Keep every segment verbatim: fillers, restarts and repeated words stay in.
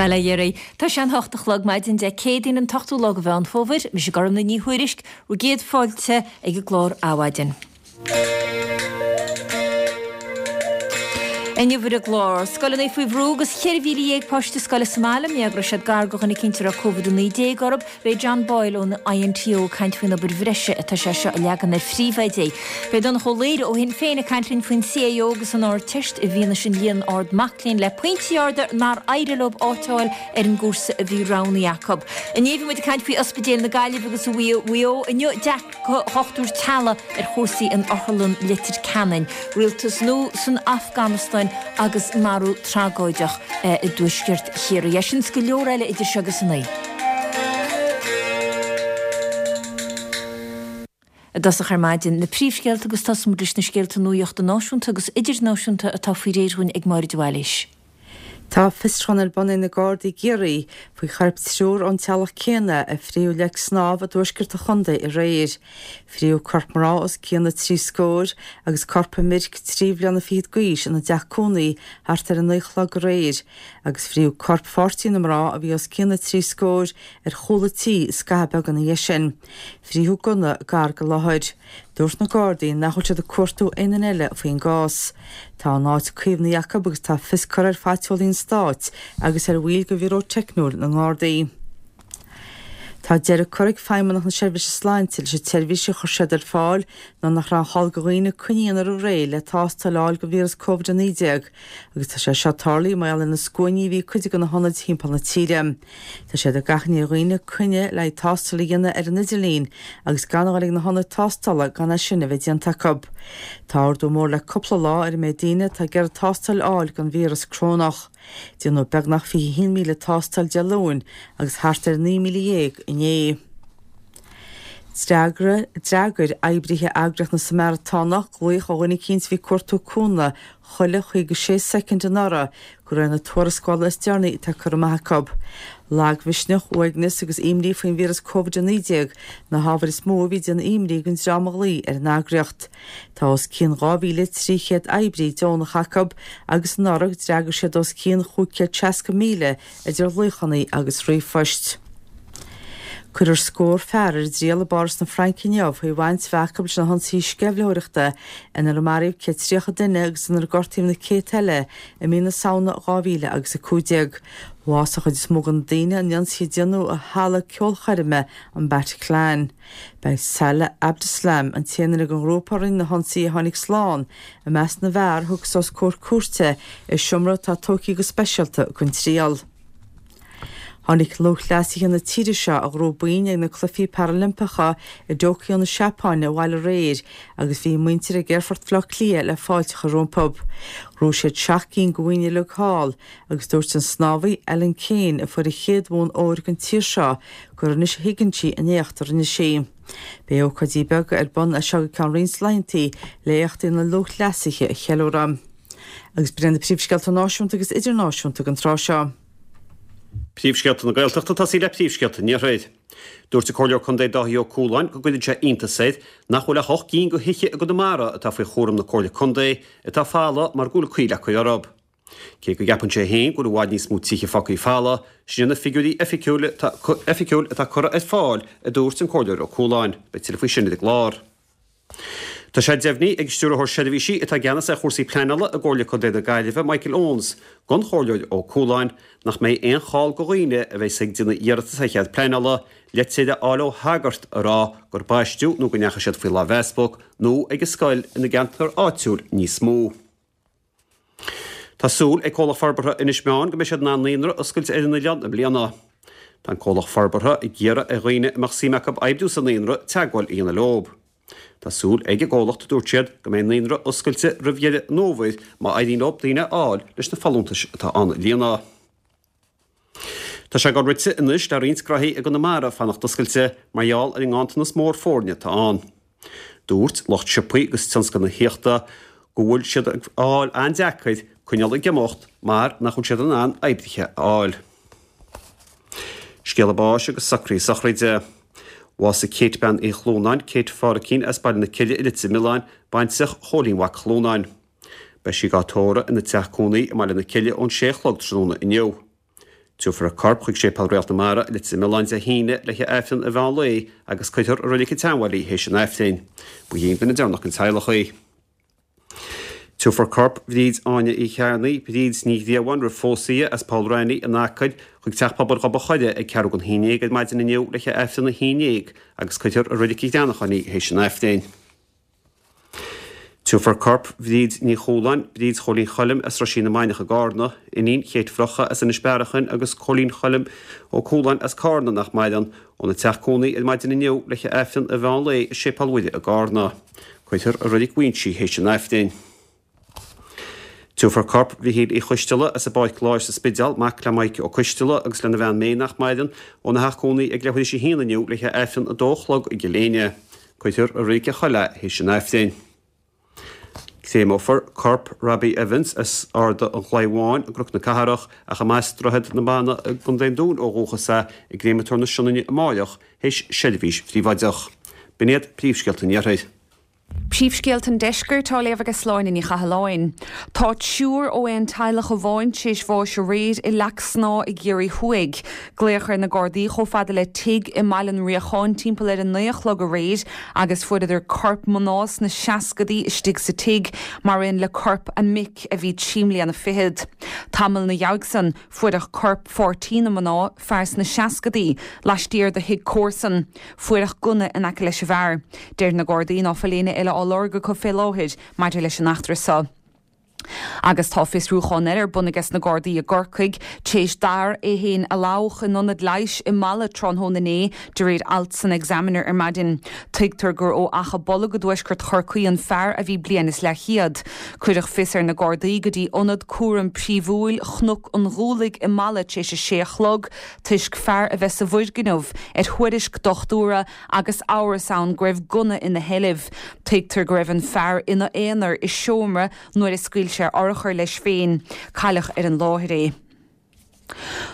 Bail ó Dhia oraibh. Tá sé an hocht a chlog maidin Dé Céadaoin an t-ochtú lá de Mheán Fómhair, mise Gormlaith Ní Thuairisg, bhur gcéad fáilte ag an gclár Adhmhaidin. Inniu ar an gclár, scoileanna faoi bhrú agus ceithre mhíle dhéag páiste scoile sa mbaile, mar go raibh siad gar do dhuine eicínt a raibh Covid a naoi déag orthu. Beidh John Boyle ón INTO ag caint faoin obair bhreise atá sé seo a leagan ar phríomhoidí. Beidh Donncha Ó Laoghaire ó Shinn Féin ag caint linn faoin CAO agus an Ardteist i bhfianaise an líon ard mac léinn le pointí arda nár éirigh leo áit a fháil ar an gcúrsa a bhí roghnaithe acu. Inné bhí muid ag caint faoi Ospidéal na Gaillimhe agus Mhaigh Eo. Inniu dearcadh Dhochtúir Teaghlaigh ar chúrsaí in Otharlann Leitir Ceanainn, rialtas nua san Afganastáin agus marú tragóideach i dtuaisceart Chiarraí. É sin is go leor eile idir seo agus a naoi. I dtosach ar maidin, na príomhscéalta agus tosóidh muid leis na scéalta nuachta náisiúnta agus idirnáisiúnta atá faoi réir dhúinn ag Máire de Bhailís. Tá fiosrúchán ar bun ag na Gardaí i gCiarraí faoi choirp triúr ón teaghlach céanna a frítheadh le snámh i dtuaisceart an chontae aréir. Frítheadh corp mná os cionn na trí scór agus corp an fhir trí bhliana fichead d'aois ina dteach cónaí thart ar a naoi a chlog aréir agus frítheadh corp pháirtí na mná a bhí os cionn na trí scór ar chúl an tí scaitheamh beag ina dhiaidh sin. Frítheadh gunna gar don láthair. Dúirt na Gardaí nach bhfuil siad ag cuartú aon duine eile faoin gcás. Tá an áit caomhnaithe acu agus tá fios curtha ar phaiteolaí an stáit agus ar bhaill de Bhiúró Teicniúil na nGardaí. Tá deireadh curtha ag Feidhmeannacht na Seirbhíse Sláinte leis an tseirbhís a chuir siad ar fáil nuair nach raibh aon chall do dhaoine coinne a dhéanamh roimh ré le tástáil a fháil don víreas Covid a naoi déag agus tá sé seo tarlaithe mar gheall ar na scuainí a bhí ag cuid de na hionaid timpeall na tíre. Tá siad ag achainí ar dhaoine coinne le haghaidh tástáil a dhéanamh ar an idirlíon agus gan a dhul ag na hionaid tástála gan é sin a bheith déanta acu. Tá ardú mór le cúpla lá ar an méid daoine atá ag iarraidh tástáil a fháil don víreas corónach. Déanadh beagnach fiche haon míle tástáil Dé Luain agus thart ar naoi míle dhéag inné. D'fhreagair oibrithe eagraíocht na Samaratánach glaoch ó dhuine eicínt a bhí ag cuartú cúnamh chuile chaoga sé soicind anuraidh de réir na tuarascála is deireanaí atá curtha amach acu. Lagmhisneach, uaigneas agus imní faoin víreas Covid a naoi déag na hábhair is mó a bhí ag déanamh imní don dream a ghlaoigh ar an eagraíocht. Tá os cionn dhá mhíle trí chéad oibrí deonach acu agus anuraidh d'fhreagair siad os cionn chúig chéad seasca míle idir ghlaochanna agus ríomhphoist. Cuirfear scór fear ar a dtriail i bPáras na Fraince inniu faoi bhaint a bheith acu leis na hionsaithe sceimhlitheoireachta inar maraíodh céad tríocha duine agus inar gortaíodh na céadta eile i mí na Samhna dhá mhíle agus a cúig déag. Bhásaigh an chuid is mó de na daoine in ionsaithe a déanadh i halla ceolchoirme an Bataclan. Beidh Salah Abdeslam, an t-aon duine den ghrúpa a rinne na hionsaithe a tháinig slán, i measc na bhfear a thiocfas os comhair cúirte i seomra atá tógtha go speisialta don triail. Tháinig lúthchleasaithe na tíre seo a ghnóthaigh boinn ag na Cluichí Parailimpeacha i dTóiceo na Seapáine abhaile aréir agus bhí a muintir ag Aerfort Bhaile Átha Cliath le fáilte a chur rompu. Ghnóthaigh siad seacht gcinn de bhoinn uilig thall agus dúirt an snámhaí Ellen Kane a fuair an chéad bhonn óir don tír seo gur anois a thuigeann sí an éacht a rinne sí. Beidh ócáidí beaga ar bun as seo go ceann roinnt laethanta le éachtaí na lúthchleasaithe a cheiliúradh. Agus b'in iad na príomhscéalta náisiúnta agus idirnáisiúnta don tráth seo. Príomhscéalta na Gaeltachta ag tosaí le príomhscéalta an Iarthair. Dúirt an Comhairleoir Contae Dáithí Ó Cualáin go gcuireann sé iontas air nach bhfuil ach ocht gcinn de thithe i gConamara atá faoi chúram na Comhairle Contae atá folamh mar go bhfuil coill acu orthu. Cé go gceapann sé féin go bhfuil i bhfad níos mó tithe fágtha folamh, sin iad na figiúirí oifigiúil atá curtha ar fáil, a dúirt an Comhairleoir Ó Cualáin. Beidh tuilleadh faoi sin ar an gclár. Tá sé deimhnithe ag Stiúrthóir Seirbhísí atá i gceannas ar chúrsaí pleanála i gComhairle Contae na Gaillimhe, Michael Owens, don Chomhairleoir Ó Cualáin nach mbeidh aon chall do dhaoine a bheas ag déanamh iarratas ar chead pleanála, litir a fháil ó shagart ag rá gur baisteadh nó go ndeachaigh siad faoi láimh easpag nó ag an scoil ina gceantar áitiúil níos mó. Tá súil ag Comhlacht Forbartha Inis Meáin go mbeidh siad in ann naíonra a oscailt ar an oileán i mbliana. Tá an comhlacht forbartha ag iarraidh ar dhaoine a mbeadh suim acu oibriú sa naíonra teagmháil a dhéanamh leo. Tá súil ag an gcomhlacht, a dúirt siad, go mbeidh an naíonra oscailte roimh dheireadh an fhómhair má éiríonn leo daoine a fháil leis na folúntais atá ann a líonadh. Tá sé ag dul rite anois le roinnt graithí i gConamara fanacht oscailte mar gheall ar an nganntanas mór foirne atá ann. Dúirt lucht siopaí agus tionscal na tithíochta go bhfuil siad ag fáil an-deacair coinneáil ag imeacht mar nach bhfuil siad in ann oibrithe a fháil. Scéala báis agus socruithe sochraide. Bhásaigh Kate Bean Uí Chlúnáin, Kate Phádhraic as Baile na Cille i Leitir Mealláin, baintreach Chóilín Mhac Chlúnáin. Beidh sí á tórramh ina teach cónaí i mBaile na Cille ón sé a chlog tráthnóna inniu. Tabharfar a corp chuig Séipéal Réalt na Mara i Leitir Mealláin Dé hAoine le haghaidh Aifreann an mheán lae agus cuirfear i Reilig an tSeanbhaile í théis an Aifrinn. Ba í an duine deireanach den teaghlach í. Tabharfar corp Bhríd Áine Uí Chearnaigh, Bríd Ní Ghriabháin roimh phósadh di, as Poll Raithní in Acaill, chuig Teach Pobail Ghob an Choire ag ceathrú don haon déag ar maidin inniu le haghaidh Aifreann a haon déag agus cuirfear i Reilig an Ghreanacháin í théis an Aifrinn. Tabharfar corp Bhríd Ní Chualáin, Bríd Chóilín Choilm as Roisín na Mainiach i gCarna, iníon Chéit Bhrocha as Inis Bearachain agus Cóilín Choilm Ó Cualáin as Carna nach maireann, óna teach cónaí ar maidin inniu le haghaidh Aifreann an mheán lae i Séipéal Mhuire i gCarna. Cuirfear i Reilig Mhuinsí théis an Aifrinn. Tabharfar corp Mhichíl Uí Choisteala as an bPáirc Láir sa Spidéal, mac le Mike Ó Coisteala agus lena bhean May nach maireann, óna theach cónaí ag leathuair théis a haon inniu le haghaidh Aifreann a dó a chlog i gCill Éinne. Cuirfear i Reilig an Choill é théis an Aifrinn. Créameofar corp Robbie Evans as Ard an Chlaí Bháin i gCnoc na Cathrach, ach a mb'as Droichead na Banna i gContae an Dúin ó dhúchas é, i gCréamatóir na Sionainne amáireach théis seirbhís phríobháideach. B'in iad príomhscéalta an Iarthair. Príomhscéalta an Deiscirt á léamh ag Sláine Ní Chathalláin. Tá triúr ó aon teaghlach amháin tar éis bháis aréir i Leac Snáth i gCiarraí Thuaidh. Glaodh ar na Gardaí chomh fada le tigh i mBaile an Riacháin timpeall ar a naoi a chlog aréir agus fuaireadar corp mná sna seascadaí istigh sa tigh mar aon le corp a mic a bhí trí mbliana fichead. Tamall ina dhiaidh san fuaireadh corp pháirtí na mná, fear sna seascadaí, laistiar de thigh comharsan. Fuaireadh gunna in aice leis an bhfear. Deir na Gardaí ná fuil éinne eile á lorg acu fé láthair maidir leis an eachtra seo. Agus tá fiosrúchán eile ar bun aige sna Gardaí i gCorcaigh tar éis d'fhear é féin a lobhadh in ionad leighis i Mala tráthnóna inné de réir alt san Examiner ar maidin. Tuigtear gur ó Achadh Bolg i dtuaisceart Chorcaí an fear a bhí bliain is leathchéad. Cuireadh fios ar na Gardaí go dtí ionad cúraim príomhúil Chnoc an Ghualaigh i Mala tar éis a sé a chlog toisc fear a bheith sa bhfoirgneamh ar thuairisc dochtúra agus amhras ann go raibh gunna ina sheilbh. Tuigtear go raibh an fear ina aonar i seomra nuair a scaoil sé urchar leis féin. Cailleadh ar an láthair é.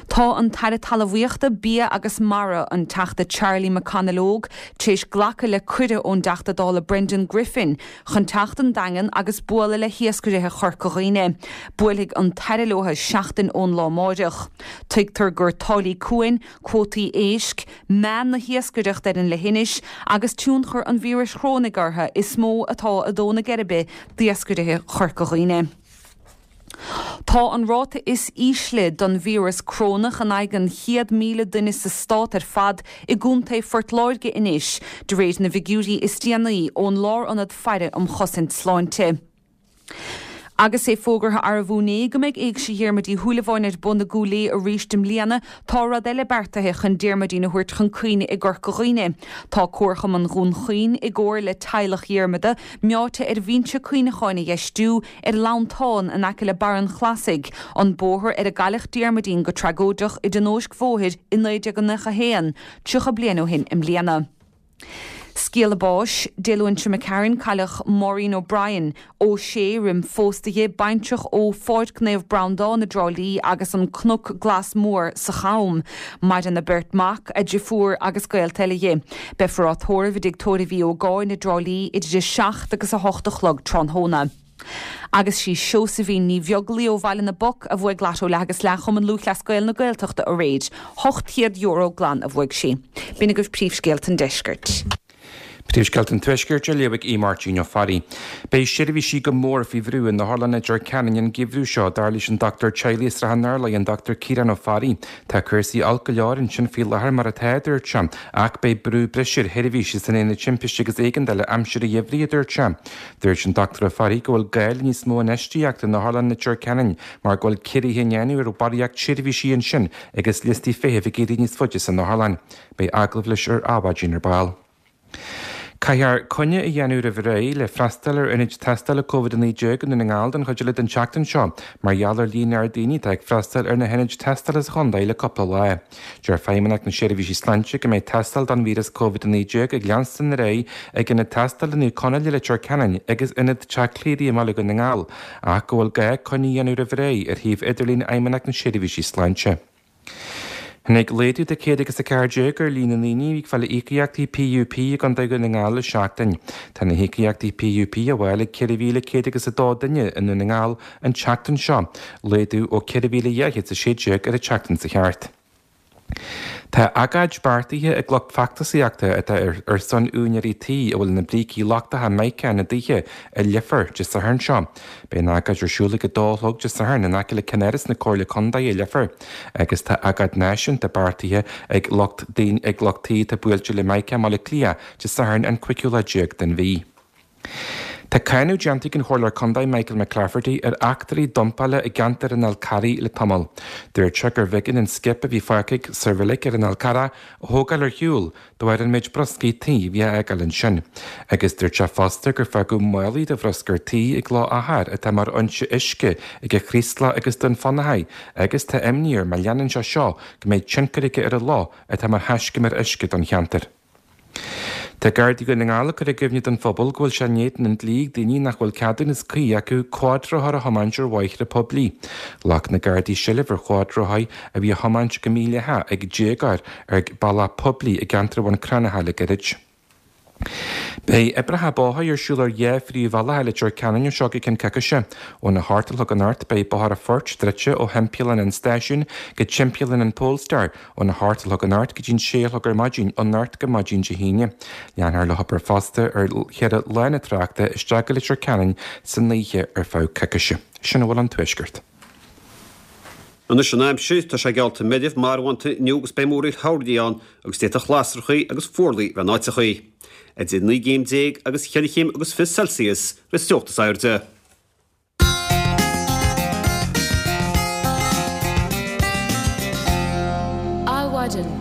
Tá an tAire Talmhaíochta, Bia agus Mara, an Teachta Charlie McConalogue, tar éis glacadh le cuireadh ón dTeachta Dála Brendan Griffin chun teacht an Daingean agus bualadh le hiascairithe Chorca Dhuibhne. Buailfidh an tAire leo seachtain ón lá amáireach. Tuigtear gur táillí cuain, cuótaí éisc, meath na hiascaireachta ar an leithinis agus tionchar an víris chorónaigh orthu is mó atá ag dó na geirbe d'iascairithe Chorca Dhuibhne. Tá an ráta is ísle don víreas corónach in aghaidh an chéad míle duine sa stát ar fad i gContae Phort Láirge anois, de réir na bhfigiúirí is déanaí ón Lárionad Faire um Chosaint Sláinte. Agus é fógartha arbh inné go mbeidh Éigse Dhiarmuid Uí Shúilleabháin ar bun i gCúil Aodha arís i mbliana, tá rud eile beartaithe chun Diarmuidín a thabhairt chun cuimhne i gCorca Dhuibhne. Tá Comharchumann Dhún Chaoin, i gcomhar le teaghlach Dhiarmada, meáite ar bhinse cuimhneacháin a dheistiú ar lantán in aice le Barr an Chlasaigh, an bóthar ar a gcailleadh Diarmuidín go tragóideach i dtionóisc bhóthair i naoi déag nócha a haon, tríocha bliain ó shin i mbliana. Scéala báis, Dé Luain seo imigh tharainn, cailleadh Maureen O'Brien, Ó Sé roim phósadh di, baintreach ó Pháirc Naomh Breandán i dTrá Lí agus an Cnoc Glas Mór sa Cham. Maireann a beirt mhac, a deirfiúr agus gaolta eile dhi. Beifear á tórramh i dTigh Tórraimh Uí Ógáin i dTrá Lí idir a seacht agus a hocht a chlog tráthnóna. Agus sí Seosaimhín Ní Bheaglaoí ó Bhaile na bPoc a bhuaigh Lató Leath agus Leath Chumann Lúthchleas Gael na Gaeltachta aréir. Ocht chéad euro glan a bhuaigh sí. B'in agaibh príomhscéalta an deiscirt. Príomhscéalta an Tuaiscirt á léamh ag Aodh Máirtín Ó Fearraigh. Beidh seirbhísí go mór faoi bhrú in Otharlann Leitir Ceanainn an geimhreadh seo, dar leis an dochtúir teaghlaigh i Srath an Turlaigh, an Dochtúir Ciarán Ó Fearraigh. Tá cúrsaí olc go leor ansin faoi láthair mar atá, a dúirt sé, ach beidh brú breise ar sheirbhísí san Aonad Timpiste agus Éigeandála aimsir an gheimhridh, a dúirt sé. Dúirt an Dochtúir Ó Fearraigh go bhfuil gá le níos mó infheistíochta in Otharlann Leitir Ceanainn mar go bhfuil ciorruithe á ndéanamh ar bharraíocht seirbhísí ansin agus liostaí feithimh ag éirí níos faide san otharlann. Beidh agallamh leis ar Adhmhaidin ar ball. Caithfear coinne a dhéanamh roimh ré le freastal ar ionaid tástála Covid a naoi déag i nDún na nGall don chuid eile den tseachtain seo mar gheall ar líon ard daoine atá ag freastal ar na hionaid tástála sa chontae le cúpla lá. Deir Feidhmeannacht na Seirbhísí Sláinte go mbeidh tástáil don víreas Covid a naoi déag ag leanstan ar aghaidh ag ionad tástála Naomh Conaill i Leitir Ceanainn agus ionad Teach Cléirigh i mBaile Dhún na nGall ach go bhfuil gá coinne a dhéanamh roimh ré ar shuíomh idirlín Fheidhmeannacht na Seirbhísí Sláinte. Tháinig laghdú de céad agus a ceathair déag ar líon na ndaoine a bhí ag fáil íocaíochtaí PUP i gContae Dhún na nGall le seachtain. Tá na híocaíochtaí PUP á bhfáil ag ceithre mhíle céad agus a dó duine i nDún na nGall an tseachtain seo, laghdú ó ceithre mhíle dhá chéad is a sé déag ar an tseachtain seo thart. Tá agóid beartaithe ag lucht feachtasaíochta atá ar son úinéirí tí a bhfuil na brící lochtacha mica ina dtithe i Leifear Dé Sathairn seo. Beidh an agóid ar siúl ag a dó a chlog Dé Sathairn in aice le ceannáras na Comhairle Contae i Leifear agus tá agóid náisiúnta beartaithe ag lucht ag lucht tí atá buailte le mica i mBaile Átha Cliath Dé Sathairn an cúigiú lá déag den mhí. Tá cáineadh déanta ag an Chomhairleoir Contae Michael McClafferty ar eachtraí dumpála i gceantar an Fhál Carraigh le tamall. Dúirt sé gurbh éigean an skip a bhí fágtha sa reilig ar an Fhál Carrach a thógáil ar shiúl de bharr an méid bruscaí tí a bhí á fhágáil ansin. Agus dúirt sé fosta gur fágadh málaí de bhruscar tí ag Loch Achair atá mar fhoinse uisce ag an Chraoslach agus Dún Fionnachaidh agus tá imní air má leanann sé seo go mbeidh tionchar aige ar an loch atá mar thaiscumar uisce don cheantar. Tá Gardaí Dhún na nGall ag cur i gcuimhne don phobal go bhfuil sé in éadan an dlí ag daoine nach bhfuil ceadúnas cuí acu cuadrothar a thiomáint ar bhóithre poiblí. Ghlac na Gardaí seilbh ar chuadrothaí a bhí á thiomáint go mídhleathach ag déagóir ar bhealach poiblí i gceantar Bhun Cranncha le gairid. Beidh oibreacha bóthair ar siúl ar dhá phríomhbhealach i Leitir Ceanainn ó seo go ceann coicíse. Óna hocht a chlog anocht beidh Bóthar an Phoirt druidte ó thimpeallán an stáisiúin go timpeallán an Polestar óna hocht a chlog anocht go dtí'n sé a chlog ar maidin anocht go maidin Dé hAoine. Leanfar le hobair fosta ar cheithre lána tráchta isteach go Leitir Ceanainn san oíche ar feadh coicíse. Sin a bhfuil ón Tuaisceart. Anois an aimsir, tá sé geallta meirbh marbhánta inniu agus beidh múraíl thoirní ann agus d'fhéadfadh lasrachaí agus fuarlaigh bheith in áiteachaí. Idir naoi gcéim déag agus cheithre chéim agus fiche Celsius an teocht is airde. Adhmhaidin.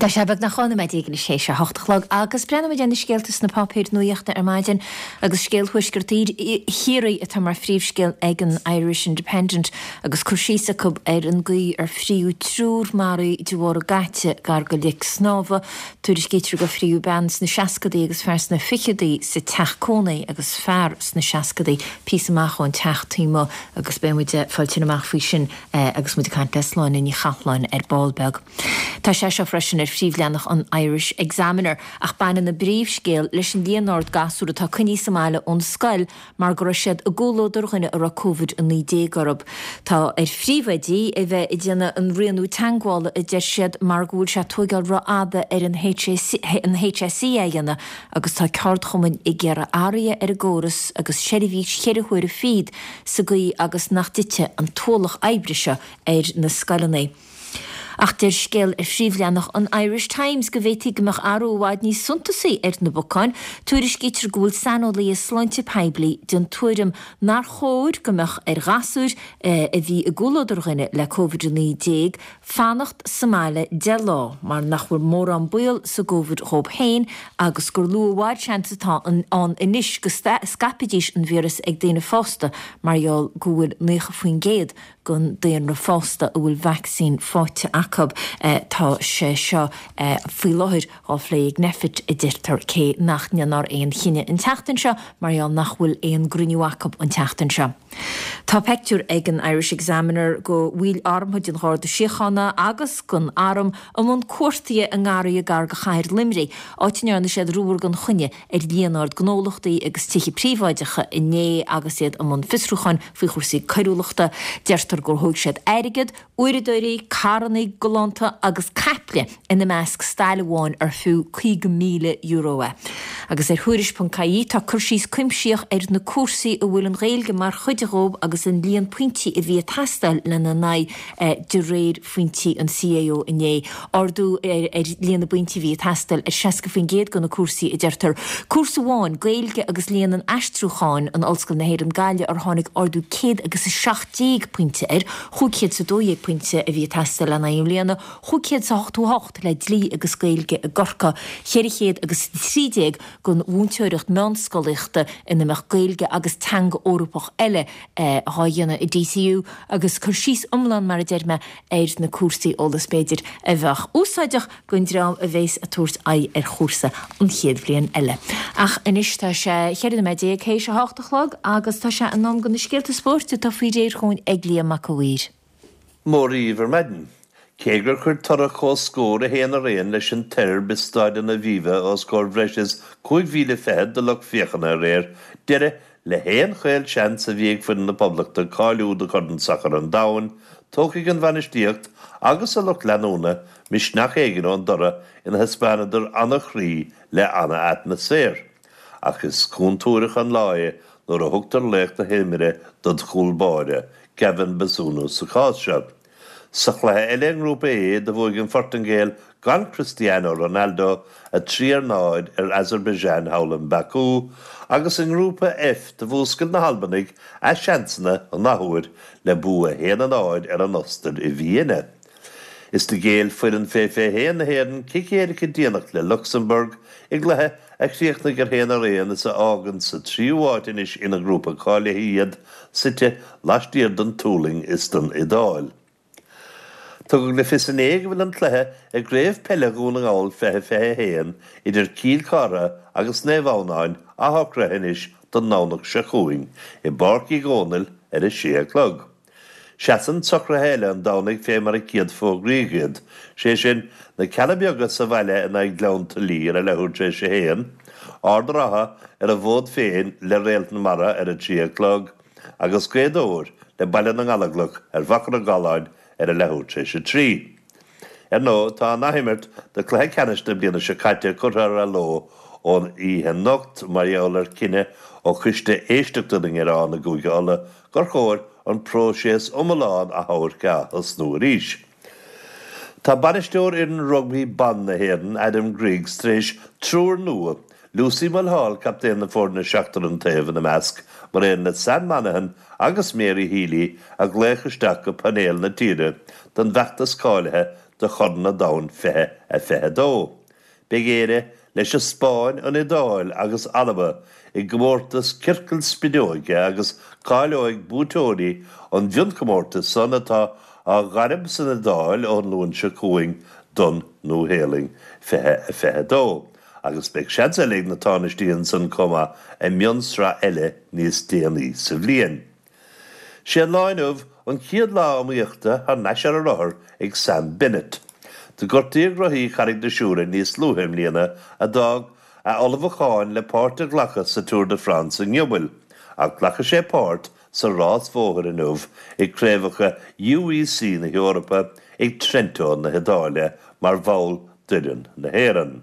Tá sé beagnach dhá nóiméad déag anois théis a hocht a chlog agus breathnóimid ar na scéalta sna páipéir nuachta ar maidin agus scéal Thuaisceart Chiarraí atá mar phríomhscéal ag an Irish Independent agus cur síos acu ar an gcaoi ar fríodh triúr maraithe de bharr a gcaite gar go Leic Snámha. Tuairiscítear gur fríodh bean sna seascadaí agus fear sna ficheadaí sa teach cónaí agus fear sna seascadaí píosa amach ón teach taobh amuigh agus beidh muid ag fáil tuilleadh amach faoi sin agus muid ag caint le Sláine Ní Chathalláin ar ball beag. Tá sé seo freisin ar phríomhleathanach an Irish Examiner, ach baineann an bpríomhscéal leis an líon ard gasúr atá coinnithe sa mbaile ón scoil mar go raibh siad i gcomhluadar dhuine a raibh Covid a naoi déag orthu. Tá ar phríomhoidí a bheith ag déanamh an rianú teagmhála, a deir siad, mar go bhfuil sé ag tóigeáil rófhada ar an H S E é a dhéanamh agus tá ceardchumainn ag iarraidh athruithe ar an gcóras agus seirbhís cheithre huaire fichead sa gcaoi agus nach dtitfidh an t-ualach oibre seo ar na scoileanna. Ach deir scéal ar phríomhleathanach an Irish Times go bhféadfaí go mbeadh athrú i bhfad níos suntasaí ar na bacáin. Tuairiscítear go bhfuil saineolaithe sláinte poiblí den tuairim nár chóir go mbeadh ar ghasúir a bhí i gcomhluadar dhuine le Covid a naoi déag fanacht sa mbaile deich lá mar nach bhfuil mórán baol sa gCovid dhóibh féin agus gur lú i bhfad seans atá ann anois go scaipfidís an víreas ag daoine fásta mar gheall go bhfuil naocha faoin gcéad den daonra fásta a bhfuil vacsaín faighte acu. Tá sé seo faoi láthair á phlé ag Nphet, a deirtear, cé nach ndéanfar aon chinneadh an tseachtain seo mar gheall nach bhfuil aon gcruinniú acu an tseachtain seo. Tá peictiúr ag an Irish Examiner go bhaill armtha den Gharda Síochána agus den Arm i mbun cuartaithe i ngarraithe gar go chathair Luimnigh, áit a ndearna siad ruathar gan choinne ar líon ard gnólachtaí agus tithe príobháideacha inné agus iad i mbun fiosrúcháin faoi chúrsaí coiriúlachta. Deirtear gur thóg siad airgead, uaireadóirí, carranna galánta agus caiple, ina measc stail amháin ar fiú caoga míle euro é. Agus ar Thuairisc ponc ie tá cur síos cuimsitheach ar na cúrsaí a bhfuil an Ghaeilge mar chuid dhóibh agus an líon pointí a bhí ag teastáil lena n-aghaidh de réir phointí an C A O inné. Ardú ar líon na bpointí a bhí ag teastáil ar seasca faoin gcéad de na cúrsaí, a deirtear. Cúrsa amháin, Gaeilge agus Léann an Aistriúcháin in Ollscoil na hÉireann Gaillimh ar tháinig ardú céad agus a seacht déag pointe air, chúig chéad is a dó dhéag pointe a bhí ag teastáil lena aghaidh i mbliana, chúig chéad is a hochtó a hocht le Dlí agus Gaeilge i gCorcaigh, ceithre chéad agus a trí déag don mhúinteoireacht meánscolaíochta ina mbeadh Gaeilge agus teanga Eorpach eile dhá dhéanamh i D C U agus cur síos iomlán, mar a deir mé, ar na cúrsaí, eolas b'fhéidir a bheadh úsáideach don dream a bhéas ag tabhairt aghaidh ar chúrsa an chéad bhliain eile. Ach anois tá sé cheithre nóiméad déag théis a hocht a chlog agus tá sé in am do na scéalta spóirt atá faoi réir chugainn ag Liam Mac a' Mhaoir. Mora dhaoibh ar maidin. Cé gur chuir toradh comhscór a haon ar aon leis an tSeirbia i Staid an Aviva os comhair bhreis is cúig mhíle fichead de lucht féachana aréir, deireadh le haon chaolseans a bhí ag foireann na Poblachta cáiliú do Chorn Sacair an Domhain, tógfaidh an bhainistíocht agus a lucht leanúna misneach éigin ón dtoradh ina thaispeánadar an-chroí le an-atmaisféar. Ach is contúirteach an lá é nuair a thugtar laoch na himeartha dod chúl báire, Gavin Bazunu sa chás seo. Sa chluiche eile i nGrúpa A do bhuaigh an Phortaingéil gan Cristiano Ronaldo a trí ar náid ar Azerbaijan thall in Baku, agus i nGrúpa F do mhúscail na hAlbanaigh a seansanna an athuair le bua a haon a náid ar an Ostair i Vienna. Is do ghéill foireann fé fiche haon na hÉireann cic éirice déanach le Lucsamburg i gcluiche a chríochnaigh ar haon ar aon is a fhágann sa tríú háit anois ina ngrúpa cáilithe iad, suite laistiar den tSualainn is den Iodáil. Tugadh le fios inné go bhfuil an cluiche i gCraobh Peile Dhún na nGall fiche fiche a haon idir Cill Chartha agus Naomh Adhamhnáin athshocraithe anois don nDomhnach seo chugainn i bPáirc Uí Dhónaill ar a sé a chlog. Seasann socruithe eile an Domhnaigh fé mar a céadfógraíodh iad, sé sin, na Cealla Beaga sa bhaile in aghaidh Ghleann tSúilí ar a leathuair tar éis a haon, Ard an Rátha ar a bhfód féin le Réalt na Mara ar a trí a chlog, agus Gaoth Dobhair le Baile na nGallóglach ar Mhachaire Galláin ar a leathuair tar éis a trí. Ar ndóigh, tá an athimirt de chluiche ceannais na bliana seo caite curtha ar athló ón oíche anocht mar gheall ar chinneadh ó Choiste Éisteachta na nGearán i gCúige Uladh gur chóir an próiseas iomlán achomhairc a ath-thosnú arís. Tá bainisteoir fhoireann rugbaí ban na hÉireann, Adam Griggs, tar éis triúr nua, Lucy Mulhall, captaen na foirne seachtar an taobh ina measc, mar aon le Sam Monaghan agus Mary Healy, a ghlaoch isteach go painéal na tíre don bhfeachtas cáilithe do Chorn an Domhain fiche a fiche a dó. Beidh Éire leis an Spáinn, an Iodáil agus Alba i gcomórtas ciorcal spideoige agus cáileoidh buaiteoirí an mhionchomórtais san atá á ghairm san Iodáil ón Luan seo chugainn don Nua-Shéalainn fiche a fiche a dó agus beidh seans eile ag na tánaistí ansan chomh maith i mionsraith eile níos déanaí sa bhliain. Sé an lá inniu an chéad lá iomaíochta thar n-ais ar a rothar ag Sam Bennett. Do gortaíodh rothaí Charraig na Siúire níos luaithe i mbliana a d'fhág a ullmhúcháin le páirt a ghlacadh sa Tour de France i ngiobal, ach glacfaidh sé páirt sa rás bhóthair inniu i gCraobhacha U E C na hEorpa ag Trento na hIodáile mar bhall d'fhoireann na hÉireann.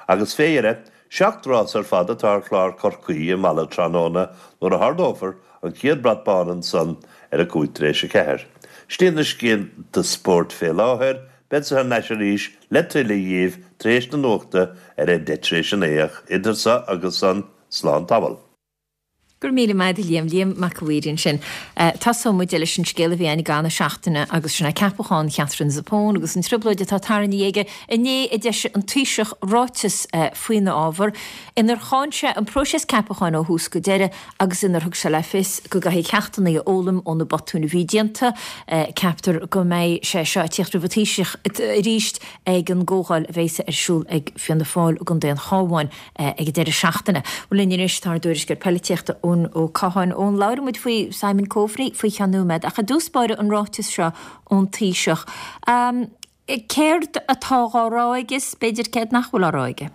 Agus fé dheireadh, seacht rás ar fad atá ar chlár Chorcaí i Mala tráthnóna nuair a hardófar an chéad brat bán ansan ar a cúig tar éis a ceathair. Sin iad na scéalta spóirt fé láthair, beadsa thar n-ais arís le tuilleadh dhíbh tar éis na nuachta ar a deich tar éis a naoi ach idir so agus san, slán tamall. Go raibh míle maith agat Liam, Liam Mac a' Mhaoir ansin. Tosóidh muid leis an scéal a bhí ann ag an seachtaine agus sin é ceapachán Catherine Zappone agus an trioblóid atá tarraingthe aige. Inné a d'eisigh an Taoiseach ráiteas faoina ábhar inar cháin sé an próiseas ceapacháin ó thús go deireadh agus inar thug sé le fios go gcaithfidh ceachtanna a fhoghlaim ó na botúin a bhí déanta. Ceaptar go mbeidh sé seo ag tíocht roimh an Taoiseach arís ag an gcomhdháil a bheidh ar siúl ag Fianna Fáil i gContae an Chabháin ag an deireadh seachtaine. Linn anois tá ár dtuairisceoir polaitíochta Eoin Ó Catháin. Eoin, labhróidh muid faoi Simon Coveney faoi cheann nóiméad ach i dtús báire an ráiteas seo ón Taoiseach. Um, céard atá á rá aige is b'fhéidir céard nach bhfuil á rá aige?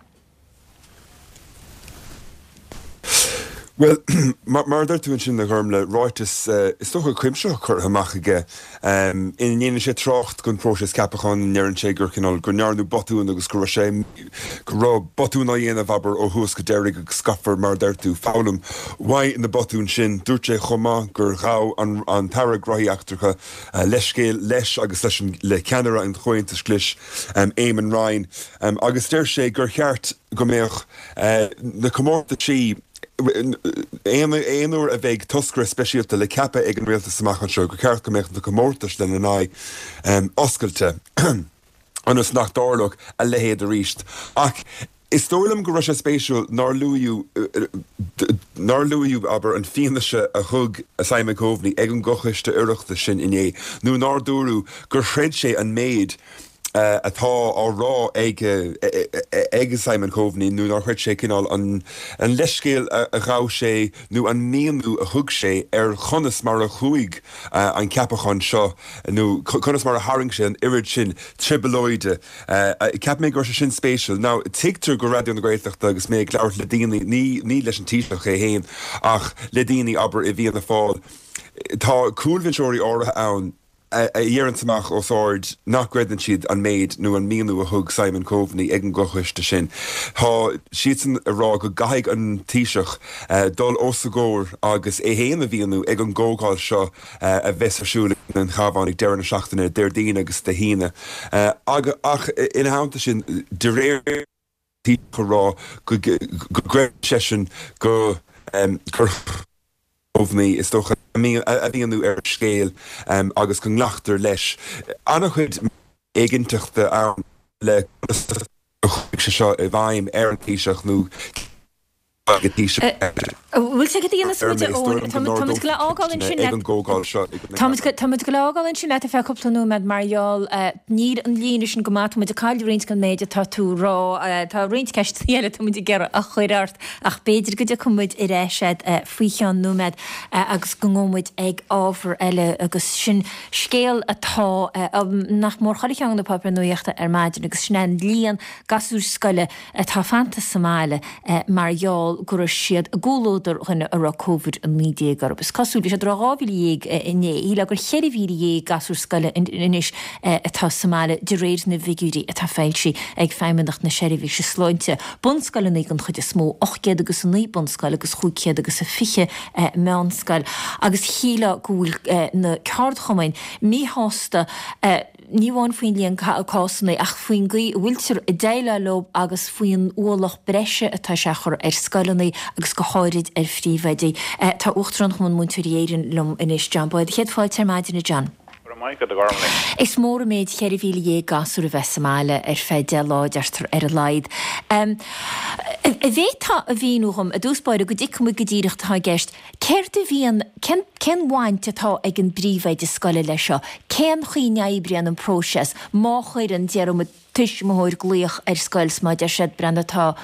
Bhuel, mar a deir tú ansin a Ghormlaith, ráiteas is dócha cuimsitheach curtha amach aige ina ndéanann sé trácht den phróiseas ceapacháin, ina ndeireann sé gur cineál, go ndearnadh botún agus go raibh sé, go raibh botún á dhéanamh, abair, ó thús go deireadh agus caithfear, mar a deir tú, foghlaim uaidh na botúin sin. Dúirt sé chomh maith gur ghabh an an tAire Gnóthaí Eachtracha leithscéal leis agus leis an, le ceannaire an Chomhaontais Ghlais, Eamon Ryan, agus deir sé gur cheart go mbeadh na comórtaisí, Aon uair a bheidh toscaire speisialta le ceapadh ag an rialtas amach anseo, gur cheart go mbeadh na comórtais lena n-aghaidh oscailte ionas nach dtarlódh a leithéid arís. Ach is dóigh liom go raibh sé spéisiúil nár luadh, nár luadh, abair, an fianaise a thug Simon Coveney ag an gComhchoiste Oireachtais sin inné, nó nár dúradh gur chreid sé an méid atá á rá ag ag Simon Coveney nó nár chreid sé cineál an an leithscéal a ghabh sé nó an míniú a thug sé ar chonas mar a chuaigh an ceapachán seo nó conas mar a tharraing sé an oiread sin trioblóide. Cheap mé go raibh sé sin spéisiúil. Now tuigtear go Raidió na Gaeltachta agus mé ag labhairt le daoine ní ní leis an Taoiseach é féin ach le daoine abair i bhFianna Fáil. Tá cúlbhinseoirí áirithe ann a dheireanns amach os ard nach gcreideann siad an méid nó an míniú a thug Simon Coveney ag an gcomhchoiste sin. Tá siadsan ag rá go gcaithfidh an Taoiseach dul os a gcomhair agus é féin a mhíniú ag an gcomhdháil seo a bheas ar siúl in An Chabhán ag deireadh na seachtaine, Déardaoin agus Dé hAoine. Ach ina theannta sin, de réir Taoiseach a rá go gcreideann seisean go gur Coveney, is dócha, a mhíniú ar an scéal agus go nglactar leis. An-chuid éiginnteachta ann le conas a chuaigh sé seo i bhfeidhm ar an Taoiseach nó ag an Taoiseach. Bhfuil sé go dtí an muid Táimid go fhágáil ansin ag an gcomhdháil seo. Táimid go fhágáil ansin leat ar feadh cúpla nóiméad mar gheall níl an líne sin go maith, táimid ag cailleadh roinnt den méid atá tú a rá. Tá roinnt ceisteanna eile táimid ag iarraidh a chur ort ach b'fhéidir go dtiocfaidh muid ar ais agat faoi cheann nóiméad agus go ngabhfaidh muid ag ábhar eile agus sin scéal atá nach mór chuile cheann de na páipéir nuachta ar maidin agus sin é an líon gasúir scoile atá fanta sa mbaile mar gheall go raibh siad i gcomhluadar dhuine a raibh Covid a naoi déag orthu. Is cosúil, bhí siad ag rá dhá mhíle dhéag inné, shílfeá gur cheithre mhíle dhéag gasúr scoile anois atá sa mbaile de réir na bhfigiúirí atá foilsithe ag Feidhmeannacht na Seirbhíse Sláinte. Bunscoileanna den chuid is mó, ocht gcéad agus a naoi bunscoil agus chúig chéad agus a fiche meánscoil. Agus shílfeá go bhfuil na ceardchumainn míshásta ní amháin faoin líon cásanna ach faoin gcaoi a bhfuiltear ag déileáil leo agus faoin ualach breise atá sé a chur ar scoileanna agus go háirid ar phríomhoidí. Tá Uachtarán Chumann Múinteoirí Éireann liom anois, John Boyle. Céad fáilte ar maidin, a John. Go raibh maith agat, a Ghormlaith. Is mór an méid cheithre mhíle dhéag gasúr a bheith sa mbaile ar feadh deich lá, deirtear, ar a laghad. An bhféadfá a mhíniú dhom, i dtús báire, go dtuigfidh muid go díreach atá i gceist, céard a bhíonn, cén, cén bhaint atá ag an bpríomhoide scoile leis seo? Cén chaoi a n-oibríonn an próiseas má chuireann, déarfaidh muid, tuismitheoir glaoch ar scoil 's má deir siad, breathnaigh, tá,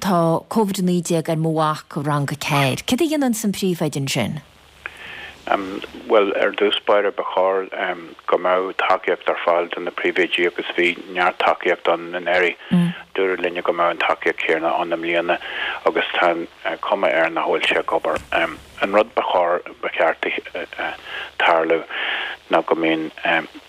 tá Covid a naoi déag ar mo mhac i rang a ceathair. Céard a dhéananns an príomhoide ansin? Bhuel, ar dtús báire, ba chóir go mbeadh tacaíocht ar fáil do na príomhoidí agus bhí neart tacaíocht ann anuraidh. Dúradh linne go mbeadh an tacaíocht chéanna ann i mbliana agus tá an cuma air nach bhfuil sé ag obair. An rud ba chóir, ba cheart tarlú ná go mbíonn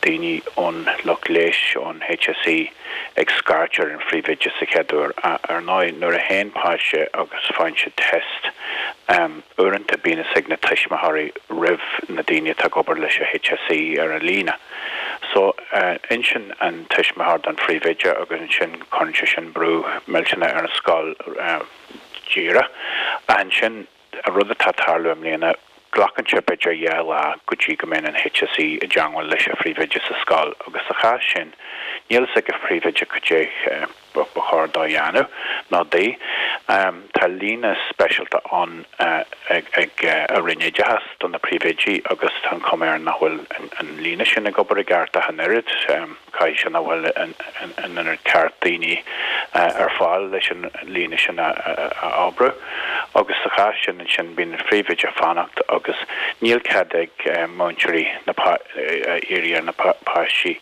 daoine ón lucht leighis, ón HSE ag scairt ar an phríomhoide sa chéad uair. Ar ndóigh, nuair a théann páiste agus faigheann siad test, Uaireanta bíonn fhios ag na tuismitheoirí roimh na daoine atá ag obair leis an HSE ar an líne. So, insíonn an tuismitheoir don phríomhoide agus ansin cuireann sé sin brú millteanach ar an scoil díreach. Ansin, an rud atá ag tarlú i mbliana, glacann sé b'fhéidir dhá lá go dtí go mbíonn an HSE i dteangmháil leis an phríomhoide sa scoil agus sa chás sin, níl fhios ag an phríomhoide cad é ba chóir dó dhéanamh nó di. Tá líne speisialta ann ag an Roinn Oideachais do na príomhoidí agus tá an chuma air nach bhfuil an líne sin ag obair i gceart ach an oiread. Caithfidh sé nach bhfuil an oiread ceart daoine ar fáil leis an líne sin a oibriú. Agus sa chás sin ansin bíonn an phríomhoide ag fanacht agus níl cead ag múinteoirí na iarraidh ar na páistí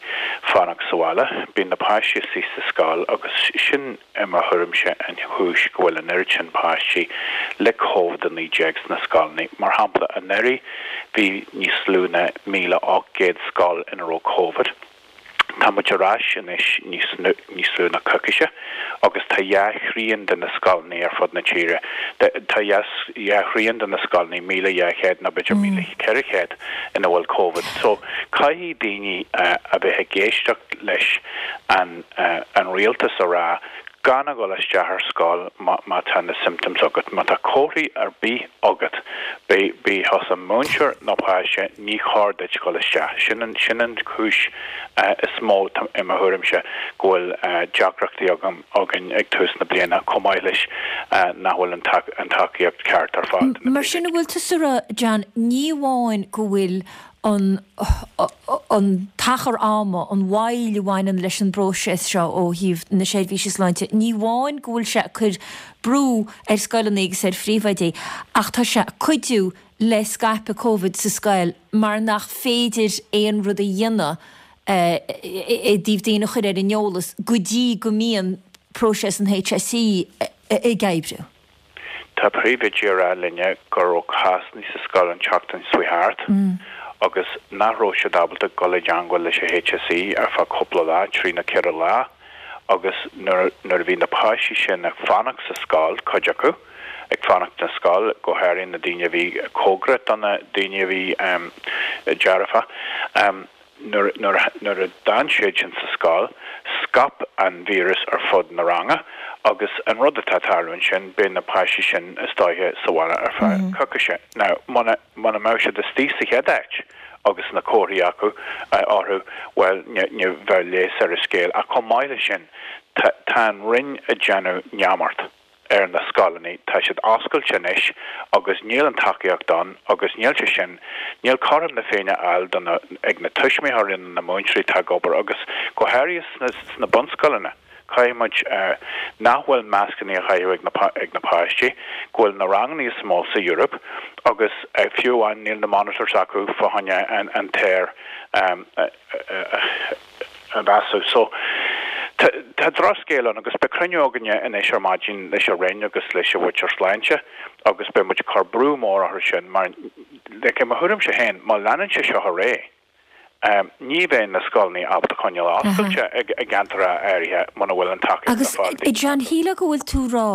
fanacht sa bhaile. Bíonn na páistí istigh sa scoil agus sin i mo thuairimse an chúis go bhfuil an oiread sin páistí le Covid a naoi déag sna scoileanna. Mar shampla, anuraidh bhí níos lú ná míle ocht gcéad scoil ina raibh Covid. Tá muid ar ais anois níos níos lú ná coicíse agus tá dhá thrian de na scoileanna ar fud na tíre, tá dhá thrian de na scoileanna, míle dhá chéad nó b'fhéidir míle ceithre chéad, ina bhfuil Covid. So, caithfidh daoine a bheith ag éisteacht leis an an rialtas a rá gan a dhul isteach ar scoil má tá na symptoms agat. Má tá comharthaí ar bith agat, bí thusa múinteoir nó páiste, ní chóir duit dhul isteach. Sin an sin an chúis is mó, i mo thuairimse, go bhfuil deacrachtaí agam againn ag tús na bliana, chomh maith leis nach bhfuil an tacaíocht ceart ar fáil do na Mar sin, an bhfuil tusa a rá, John, ní amháin go bhfuil an an t-achar ama, an mhoill a bhaineann leis an bpróiseas seo ó thaobh na seirbhíse sláinte, ní amháin go bhfuil sé ag cur brú ar scoileanna agus ar phríomhoidí ach tá sé ag cuidiú le scaipeadh Covid sa scoil mar nach féidir aon rud a dhéanamh i dtaobh daoine a chur ar an eolas go dtí go mbíonn próiseas an HSE ag oibriú. Tá príomhoidí ag rá linne go raibh cásanna sa scoil an tseachtain seo thart agus nach raibh siad ábalta dul i dteangmháil leis an HSE ar feadh cúpla lá, trí nó ceithre lá, agus nuair a bhí na páistí sin ag fanacht sa scoil, cuid acu ag fanacht sa scoil, go háirithe na daoine a bhí cóngarach do na daoine a bhí dearfa, nuair a d'fhan siad sin sa scoil, scaip an víreas ar fud na ranga agus an rud atá ag tarlú ansin, beidh na páistí sin is dóiche sa bhaile ar feadh coicíse. Now, muna muna mbeadh siad istigh sa chéad áit agus na comharthaí acu orthu, bhuel, ní bheadh leigheas ar an scéal. Ach chomh maith leis sin, tá an Roinn ag déanamh neamart ar na scoileanna, tá siad oscailte anois agus níl an tacaíocht ann agus níl sé sin, níl cothrom na Féinne á fháil do na, ag na tuismitheoirí nó na múinteoirí atá ag obair agus go háirithe sna, sna bunscoileanna. Caithfidh muid nach bhfuil mascanna á chaitheamh ag na, ag na páistí, go bhfuil na ranganna is mó sa Eoraip agus fiú amháin níl na monitors acu fá choinne an, an t-aer a mheasú. So, tá drochscéal ann agus beidh cruinniú againne anois ar maidin leis an Roinn agus leis an bhFoitir Sláinte agus beidh muid ag cur brú mór orthu sin mar, like, i mo thuairimse féin, má leanann sé seo ar aghaidh, ní bheidh na scoileanna ábalta coinneáil oscailte i gceantair áirithe muna bhfuil an tacaíocht ar fáil. Agus, a John, shílfeá go bhfuil tú ag rá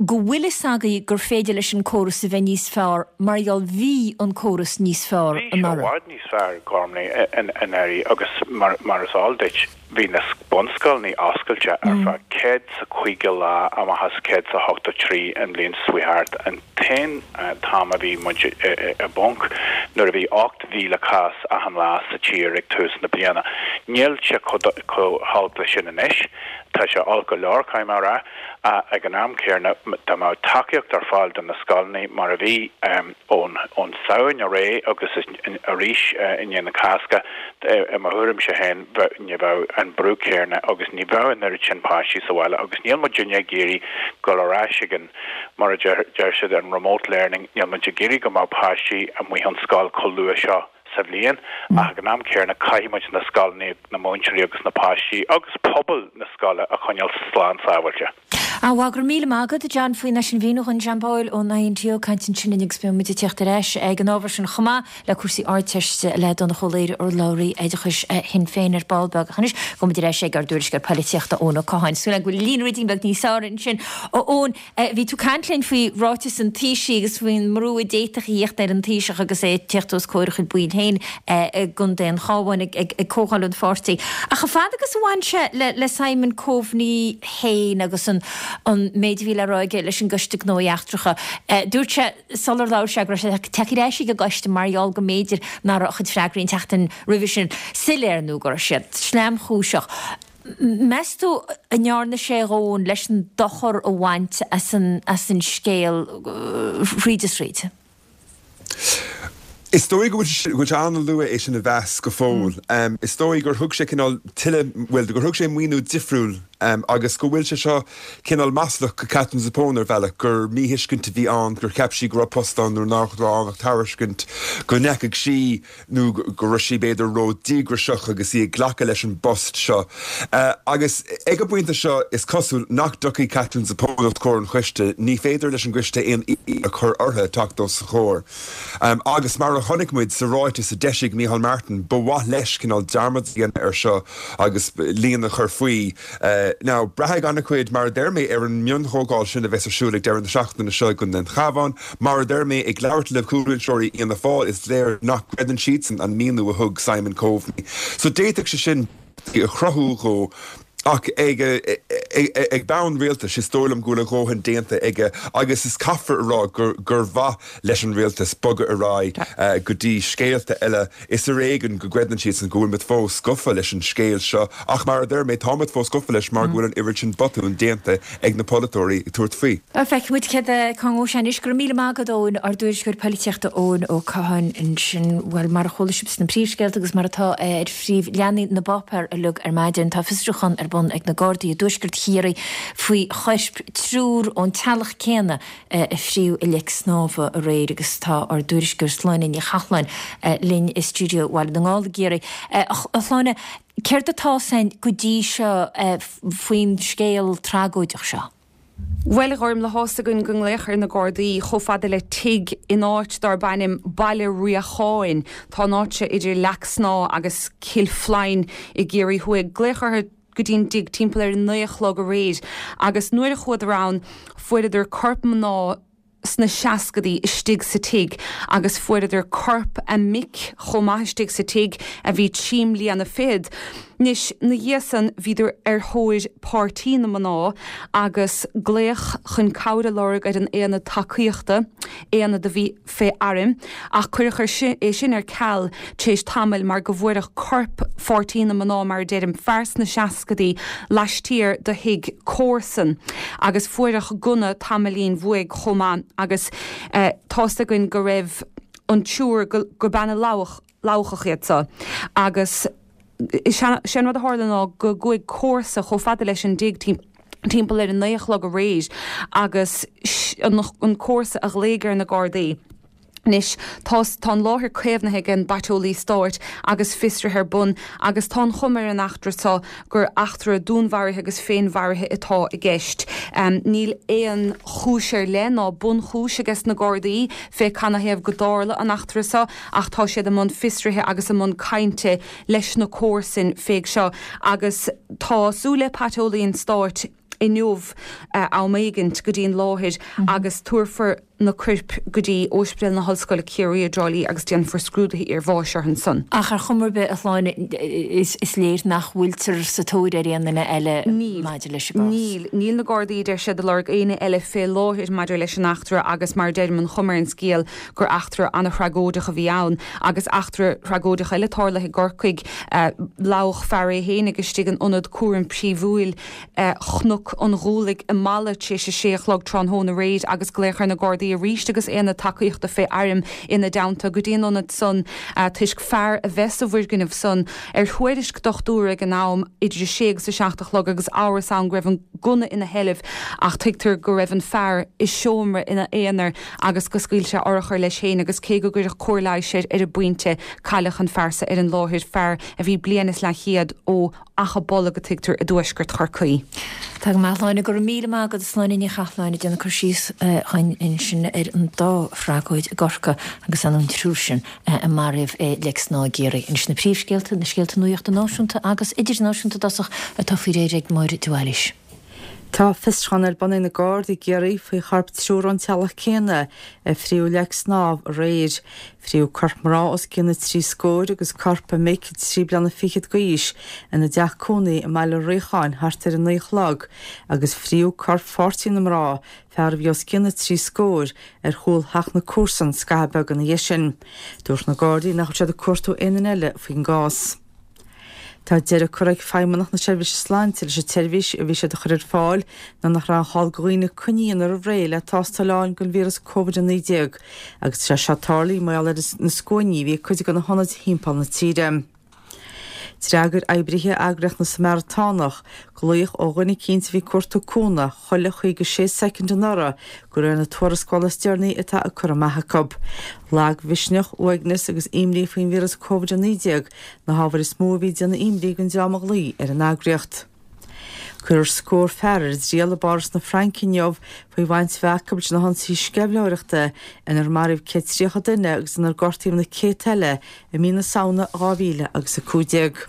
go bhfuil fhios agaibh gur féidir leis an córas a bheith níos fearr mar gheall bhí an córas níos fearr Bhí sé i anuraidh. bhfad níos fearr, Gormlaith, anuraidh agus mar is eol duit, bhí na bunscoileanna oscailte ar feadh céad 's a caoga lá amach as céad 's a hochtó trí an bhliain seo chuaigh thart. An t-aon t-am a bhí muid i bponc nuair a bhí ocht mhíle cás achan lá sa tír ag tús na bliana. Níl sé chomh holc leis sin anois. Tá sé olc go leor, caithfidh mé a rá, ach ag an am céanna dá mbeadh tacaíocht ar fáil do na scoileanna mar a bhí ón Samhain ar aghaidh agus arís i ndiaidh na Cásca, i mo thuairimse féin, ní bheadh an brú céanna agus ní bheadh an oiread sin páistí sa bhaile agus níl muidinne ag iarraidh dul ar ais ag an, mar a deir siad, an remote learning, níl muid ag iarraidh go mbeadh páistí amuigh ón scoil chomh luath seo sa bhliain ach ag an am céanna caithfidh muid na scoileanna, na múinteoirí agus na páistí agus pobal na scoile a choinneáil slán sábháilte. Á, bhuel, go raibh míle maith agat, a John, faoin sin mhíniúchán, John Boyle ón INTO ag caint ansin linn agus beidh muid ag teacht ar ais ag an ábhar sin chomh maith le cúrsaí Ardteiste le Donncha Ó Laoghaire, urlabhraí oideachais Shinn Féin ar ball beag. Ach anois, gabhfaidh muid ar ais ag ár dtuairisceoir polaitíochta, Eoin Ó Catháin. Súil agam go bhfuil líne ruidín beag níos fearr ansin. A Eoin, bhí tú ag caint linn faoi ráiteas an Taoisigh agus faoin mbrú a d'fhéadfadh a thíocht ar an Taoiseach agus é ag teacht os comhair a chuid baill féin i gContae an Chabháin ag comhdháil an pháirtí. Ach chomh fada agus a bhain sé le Simon Coveney féin agus an an méid a bhí le rá aige leis an gCoiste Gnóthaí Eachtracha, dúirt sé sular labhair sé go raibh sé ag teacht ar ais ag an gcoiste mar gheall go mb'fhéidir nach raibh a chuid freagraí an tseachtain roimhe sin soiléir nó go raibh siad sleamchúiseach. Meas tú an ndearna sé a dhóthain leis an dochar a bhaint as an as an scéal thríd is thríd? Is dóigh go bhfuil sé an-luath é sin a mheas go fóill. Is dóigh gur thug sé cineál tuilleadh, bhuel, gur thug sé míniú difriúil agus go bhfuil sé seo cineál maslach go Katherine Zappone ar bhealach, gur míthuiscint a bhí ann, gur cheap sí go raibh post ann nuair nach raibh ann ach tairiscint, go ndeachaigh sí nó go raibh sí b'fhéidir ró-dhíograiseach agus í ag glacadh leis an bpost seo. Agus ag an bpointe seo is cosúil nach dtiocfaidh Katherine Zappone os comhair an choiste, ní féidir leis an gcoiste aon iallach a chur uirthi teacht os a chomhair. Agus mar a chonaic muid sa ráiteas a d'eisigh Micheál Martin, ba mhaith leis cineál dearmad a dhéanamh air seo agus líon a chur faoi. Now, braithfidh an-chuid, mar a deir mé, ar an mionchomhdháil sin a bheas ar siúl ag deireadh na seachtaine seo i gContae an Chabháin. Mar a deir mé, ag labhairt le cúlrinseoirí Fhianna Fáil, is léir nach gcreideann siadsan an míniú a thug Simon Coveney. So d'fhéadfadh sé sin a chruthú dhó. Ach ag ag bonn rialtais is dóigh liom go bhfuil a dhóthain déanta aige agus is caithfear a rá gur gur mhaith leis an rialtas bogadh ar aghaidh go dtí scéalta eile. Is ar éigean go gcreideann siadsan go bhfuil muid fós gafa leis an scéal seo ach mar a deir mé tá muid fós gafa leis mar go bhfuil an oiread sin botún déanta ag na polaiteoirí ag tabhairt faoi. Feicfidh muid céard cá ngabhfaidh sé anois. Go raibh míle maith agat Eoin, ár dtuairisceoir polaitíochta Eoin Ó Catháin ansin. Bhuel, mar a chuala sibh sna príomhscéalta agus mar atá ar phríomhleathanaigh na bpáipéar uilig ar maidin, tá fiosrúchán ar bun ag na Gardaí i dtuaisceart Chiarraí faoi choirp triúr ón teaghlach céanna a fríodh i Leic Snámha aréir agus tá ár dtuairisceoir Sláine Ní Chathalláin linn i stiúideo Bhaile na nGall i gCiarraí. A Shláine, céard atá a fhios againn go dtí seo faoin scéal tragóideach seo? Bhuel, a Ghormlaith, tá a fhios againn gur glaodh ar na Gardaí chomh fada le tigh in áit darb ainm Baile Riacháin. Tá an áit seo idir Leac Snámha agus Cill Flainn i gCiarraí Thuaidh. Glaodh orthu go dtí an dtigh timpeall ar a naoi a chlog aréir agus nuair a chuadar ann fuaireadar corp mná sna seascadaí istigh sa tigh agus fuaireadar corp a mic chomh maith istigh sa tigh a bhí trí mbliana fichead. Anois, 'na dhiaidh san bhíodar ar thóir páirtí na mná agus glaodh chun cabhair a lorg ar an Aonad Tacaíochta, aonad a bhí fé airm, ach cuireadh é sin ar ceal tar éis tamaill mar go bhfuaireadh corp pháirtí na mná, mar a deirim, fear sna seascadaí, laistiar de thigh comharsan agus fuaireadh gunna tamaillín uaidh chomh maith agus tá a fhios againn go raibh an triúr, gur bean Labhcach iad so agus sé an rud a tharla ná go gcuaigh comharsa chomh fada leis an dtigh timpeall ar a naoi a chlog aréir agus an comharsa a ghlaoigh ar na Gardaí. Anois, tá tá an láthair caomhnaithe ag an bPaiteolaí Stáit agus fiosruithe ar bun agus tá an chuma ar an eachtra seo gur eachtra dúnmharaithe agus féinmharaithe atá i gceist. Níl aon chúis ar leith ná bunchúis ages na Gardaí fé canathaobh go dtarla an eachtra seo ach tá siad i mbun fiosruithe agus i mbun cainte leis na comharsain fé seo agus tá súil le Paiteolaí an Stáit inniu am éigint go dtí an láthair agus tabharfar na coirp go dtí Ospidéal na hOllscoile Ciarraí i dTrá Lí agus déanfar scrúduithe iarbháis orthu ansan. Ach ar chuma ar bith, a Shláine, is léir nach bhfuiltear sa tóir ar aon duine eile maidir leis an gcás. Níl. Níl na Gardaí, deir siad, ag lorg éinne eile fé láthair maidir leis an eachtra agus mar a deirim, an chuma ar an scéal gur eachtra an-thragóideach a bhí ann. Agus eachtra thragóideach eile tarlaithe i gCorcaigh, lamhach fear é fhéinig istigh in ionad cúraim príomhúil Chnoc an Ghualaigh i Mala tar éis a sé a chlog tráthnóna aréir agus glaodh ar na Gardaí arís agus aonad tacaíochta fé airm ina dteannta go dtí an ionad san toisc fear a bheith sa bhfoirgneamh san ar thuairisc dochtúra ag an am idir a sé agus a seacht a chlog agus amhras ann go raibh an gunna ina sheilbh ach tuigtear go raibh an fear i seomra ina aonar agus go scaoil sé urchar leis féin agus cé go gcuireadh cóir leighis air ar an bpointe cailleadh an fear sa ar an láthair, fear a bhí bliain is leathchéad ó Achadh Bolg a tuigtear i dtuaisceart Chorcaí. Tá go maith, a Shláine. Go raibh míle maith agat, a Shláine Ní Chathalláin, ag déanamh cur síos dhúinn ansin ar an dá thragóid i gCorcaigh agus an triúr sin a maraíodh i Leic Snámha i gCiarraí. Anois na príomhscéalta, na scéalta nuachta náisiúnta agus idirnáisiúnta i dtosach atá faoi réir ag Máire de Bhailís. Tá fiosrúchán ar bun ag na Gardaí i gCiarraí faoi chorp triúr ón teaghlach céanna a fríodh i Leic Snámha aréir. Fríodh corp mná os cionn na trí scóir agus corp a mic trí bliana fichead d'aois ina dteach cónaí i mBaile Riacháin thart ar a naoi a chlog agus fríodh corp pháirtí na mná, fear a bhí os cionn na trí scóir, ar chúl theach na comharsan scaitheamh beag ina dhiaidh sin. Dúirt na Gardaí nach bhfuil siad ag cuartú aon duine eile faoin gcás. Tá deireadh curtha ag Feidhmeannacht na Seirbhíse Sláinte leis an tseirbhís a bhí siad a chur ar fáil nuair nach raibh an chall do dhaoine coinne a dhéanamh roimh ré le tástáil a fháil don víreas Covid a naoi déag agus tá sé seo tarlaithe mar gheall ar na scuainí a bhí ag cuid de na hionaid thimpeall na tíre. D'fhreagair oibrithe Eagraíocht na Samaratánach glaoch ó dhuine eicínt a bhí ag cuartú cúnamh chuile chaoga sé soicind anuraidh de réir na tuarascála is deireanaí atá curtha amach acu. Lagmhisneach, uaigneas agus imní faoin víreas Covid a naoi déag na hábhair is mó a bhí ag déanamh imní don dream a ghlaoigh ar an eagraíocht. Cuirfear scór fear ar a dtriail i bPáras na Fraince inniu faoi bhaint a bheith acu leis na hionsaithe sceimhlitheoireachta inar maraíodh céad tríocha duine agus inar gortaíodh na céadta eile i mí na Samhna dhá mhíle agus a cúig déag.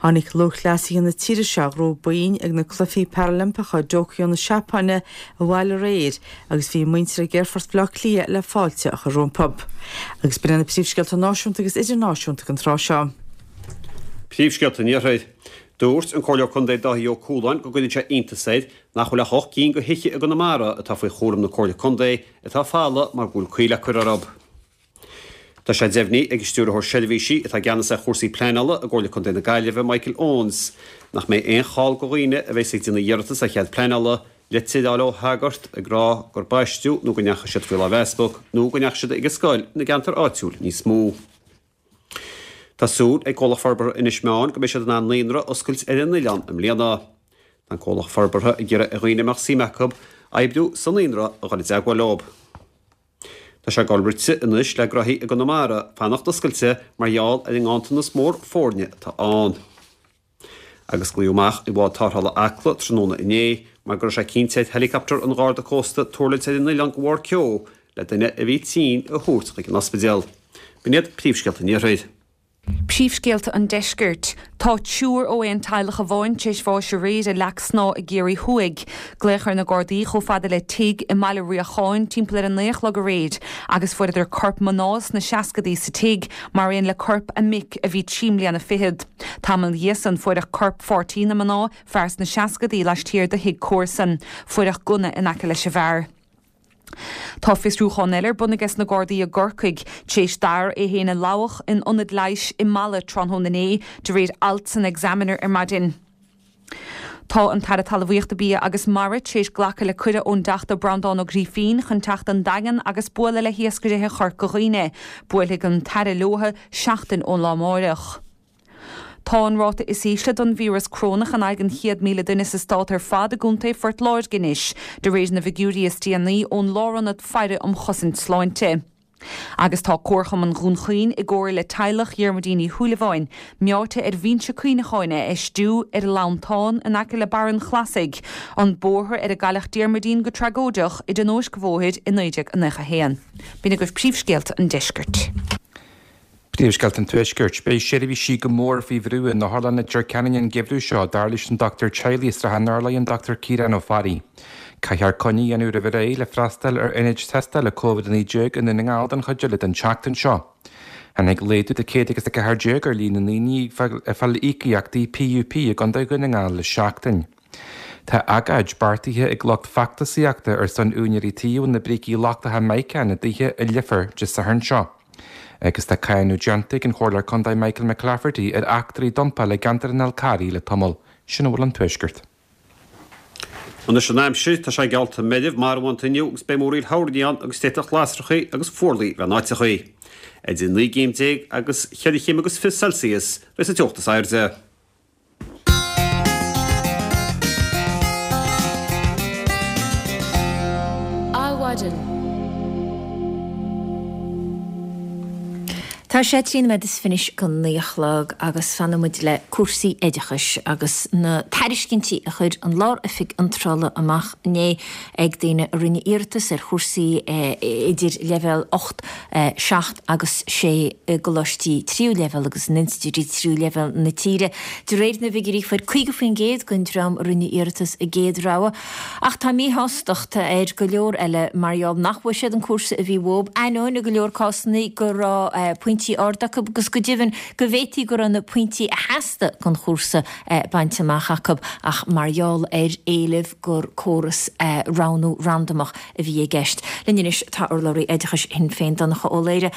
Tháinig lúthchleasaithe na tíre seo a ghnóthaigh boinn ag na Cluichí Parailimpeacha i dTóiceo na Seapáine abhaile aréir agus bhí a muintir ag Aerfort Bhaile Átha Cliath le fáilte a chur rompu. Agus b'in iad na príomhscéalta náisiúnta agus idirnáisiúnta don tráth seo. Príomhscéalta an Iarthair. Dúirt an Comhairleoir Contae Dáithí Ó Cualáin go gcuireann sé iontas air nach bhfuil ach ocht gcinn de thithe i gConamara atá faoi chúram na Comhairle Contae atá folamh mar go bhfuil caoi le cur orthu. Tá sé deimhnithe ag an Stiúrthóir Seirbhísí atá i gceannas ar chúrsaí pleanála i gComhairle Contae na Gaillimhe, Michael Owens, nach mbeidh aon chall do dhaoine a bheas ag déanamh iarratas ar chead pleanála litir a fháil ó shagart ag rá gur baisteadh nó go ndeachaigh siad faoi láimh easpag nó go ndeachaigh siad ag an scoil ina gceantar áitiúil níos mó. Tá súil ag Comhlacht Forbartha Inis Meáin go mbeidh siad in ann naíonra a oscailt ar an oileán i mbliana. Tá an comhlacht forbartha ag iarraidh ar dhaoine a mbeadh suim acu oibriú sa naíonra a dhul i dteagmháil leo. Tá sé ag dul rite anois le gnóthaí i gConamara fanacht oscailte mar gheall ar an nganntanas mór foirne atá ann. Agus glaodh amach i bhád tarrthála Acla tráthnóna inné mar go raibh sé cinnte ar helicopter an Gharda Cósta tuirlingt ar an oileán de bharr ceo le duine a bhí tinn a thabhairt chuig an ospidéal. B'in iad príomhscéalta an Iarthair. Príomhscéalta an Deiscirt. Tá triúr ó aon teaghlach amháin tar éis bháis aréir i Leac Snáth i gCiarraí Thuaidh. Glaodh ar na Gardaí chomh fada le tigh i mBaile Riacháin timpeall ar a naoi a chlog aréir agus fuaireadar corp mná sna seascadaí sa tigh mar aon le corp a mic a bhí trí mbliana fichead. Tamall ina dhiaidh san fuaireadh corp pháirtí na mná, fear sna seascadaí, laistiar de thigh comharsan. Fuaireadh gunna in aice leis an bhfear. Tá fiosrúchán eile ar bun aige na Gardaí i gCorcaigh, tar éis d'fhear é féin a lamhach in ionad leighis i Mala tráthnóna inné, de réir alt san Examiner ar maidin. Tá an tAire Talmhaíochta Bia agus Mara tar éis glacadh le cuireadh ón dTeachta Breandán Ó Grífín chun teacht don Daingean agus bualadh le hiascairithe Chorca Dhuibhne. Buailfidh an tAire leo seachtain ón lá amáireach. Tá an ráta is ísle don víreas corónach in aghaidh an chéad míle duine sa stát ar fad i gContae Phort Láirge anois, de réir na bhfigiúirí is déanaí ón Lárionad Faire um Chosaint Sláinte. Agus tá Comharchumann Dhún Chaoin i gcomhar le teaghlach Dhiarmuidín Uí Shúilleabháin, meáite ar bhinse cuimhneacháin a fheistiú ar Lantán in aice le Barr an Chlasaigh, an bóthar ar a gcailleadh Diarmuidín go tragóideach i dtionóisc bhóthair i naoi déag nócha a haon. B'in agaibh príomhscéalta an deiscirt. Príomhscéalta an Tuaiscirt. Beidh seirbhísí go mór faoi bhrú in Otharlann Leitir Ceanainn an geimhreadh seo, dar leis an dochtúir teaghlaigh i Srath an Urláir, an Dochtúir Ciarán Ó Fearraigh. Caithfear coinne a dhéanamh roimh ré le freastal ar ionaid tástála Covid a naoi déag i nDún na nGall don chuid eile den tseachtain seo. Tháinig laghdú de céad agus a ceathair déag ar líon na ndaoine ag fáil íocaíochtaí PUP i gContae Dhún na nGall le seachtain. Tá agóid beartaithe ag lucht feachtasaíochta ar son úinéirí tí a bhfuil na brící lochtacha mica ina dtithe i Leifear Dé Sathairn seo. Agus tá cáineadh déanta ag an Chomhairleoir Contae Michael McClafferty ar eachtraí dumpála i gceantar an Fhál Carraigh le tamall. Sin a bhfuil ón Tuaisceart. Anois an aimsir, tá sé geallta meirbh marbhánta inniu agus beidh múraíl thoirní ann agus d'fhéadfadh lasrachaí agus fuarlaigh bheith in áiteachaí. Idir naoi gcéim déag agus cheithre chéim agus fiche Celsius a bheas an teocht is airde. Adhmhaidin. Tá sé trí nóiméad is fiche anois go naoi a chlog agus fanfaidh muid le cúrsaí oideachais agus na tairiscintí a chuir an Lár-Oifig Iontrála amach inné ag daoine a rinne iarratas ar chúrsaí idir leibhéal ocht, seacht agus sé i gcoláistí tríú leibhéal agus in institiúidí tríú leibhéal na tíre. De réir na bhfigiúirí fuair caoga faoin gcéad den dream a rinne iarratas a gcéad rogha ach tá míshástacht ar go leor eile mar gheall nach bhfuair siad an cúrsa a bhí uathu, ainneoin i go leor cásanna go raibh pointí arda acu agus go deimhin go bhféadfaí go raibh na pointí a theastaigh don chúrsa bainte amach acu ach mar gheall ar éilimh gur córas roghnú randamach a bhí i gceist. Linn anois tá urlabhraí oideachais Shinn Féin, Donncha Ó Laoghaire.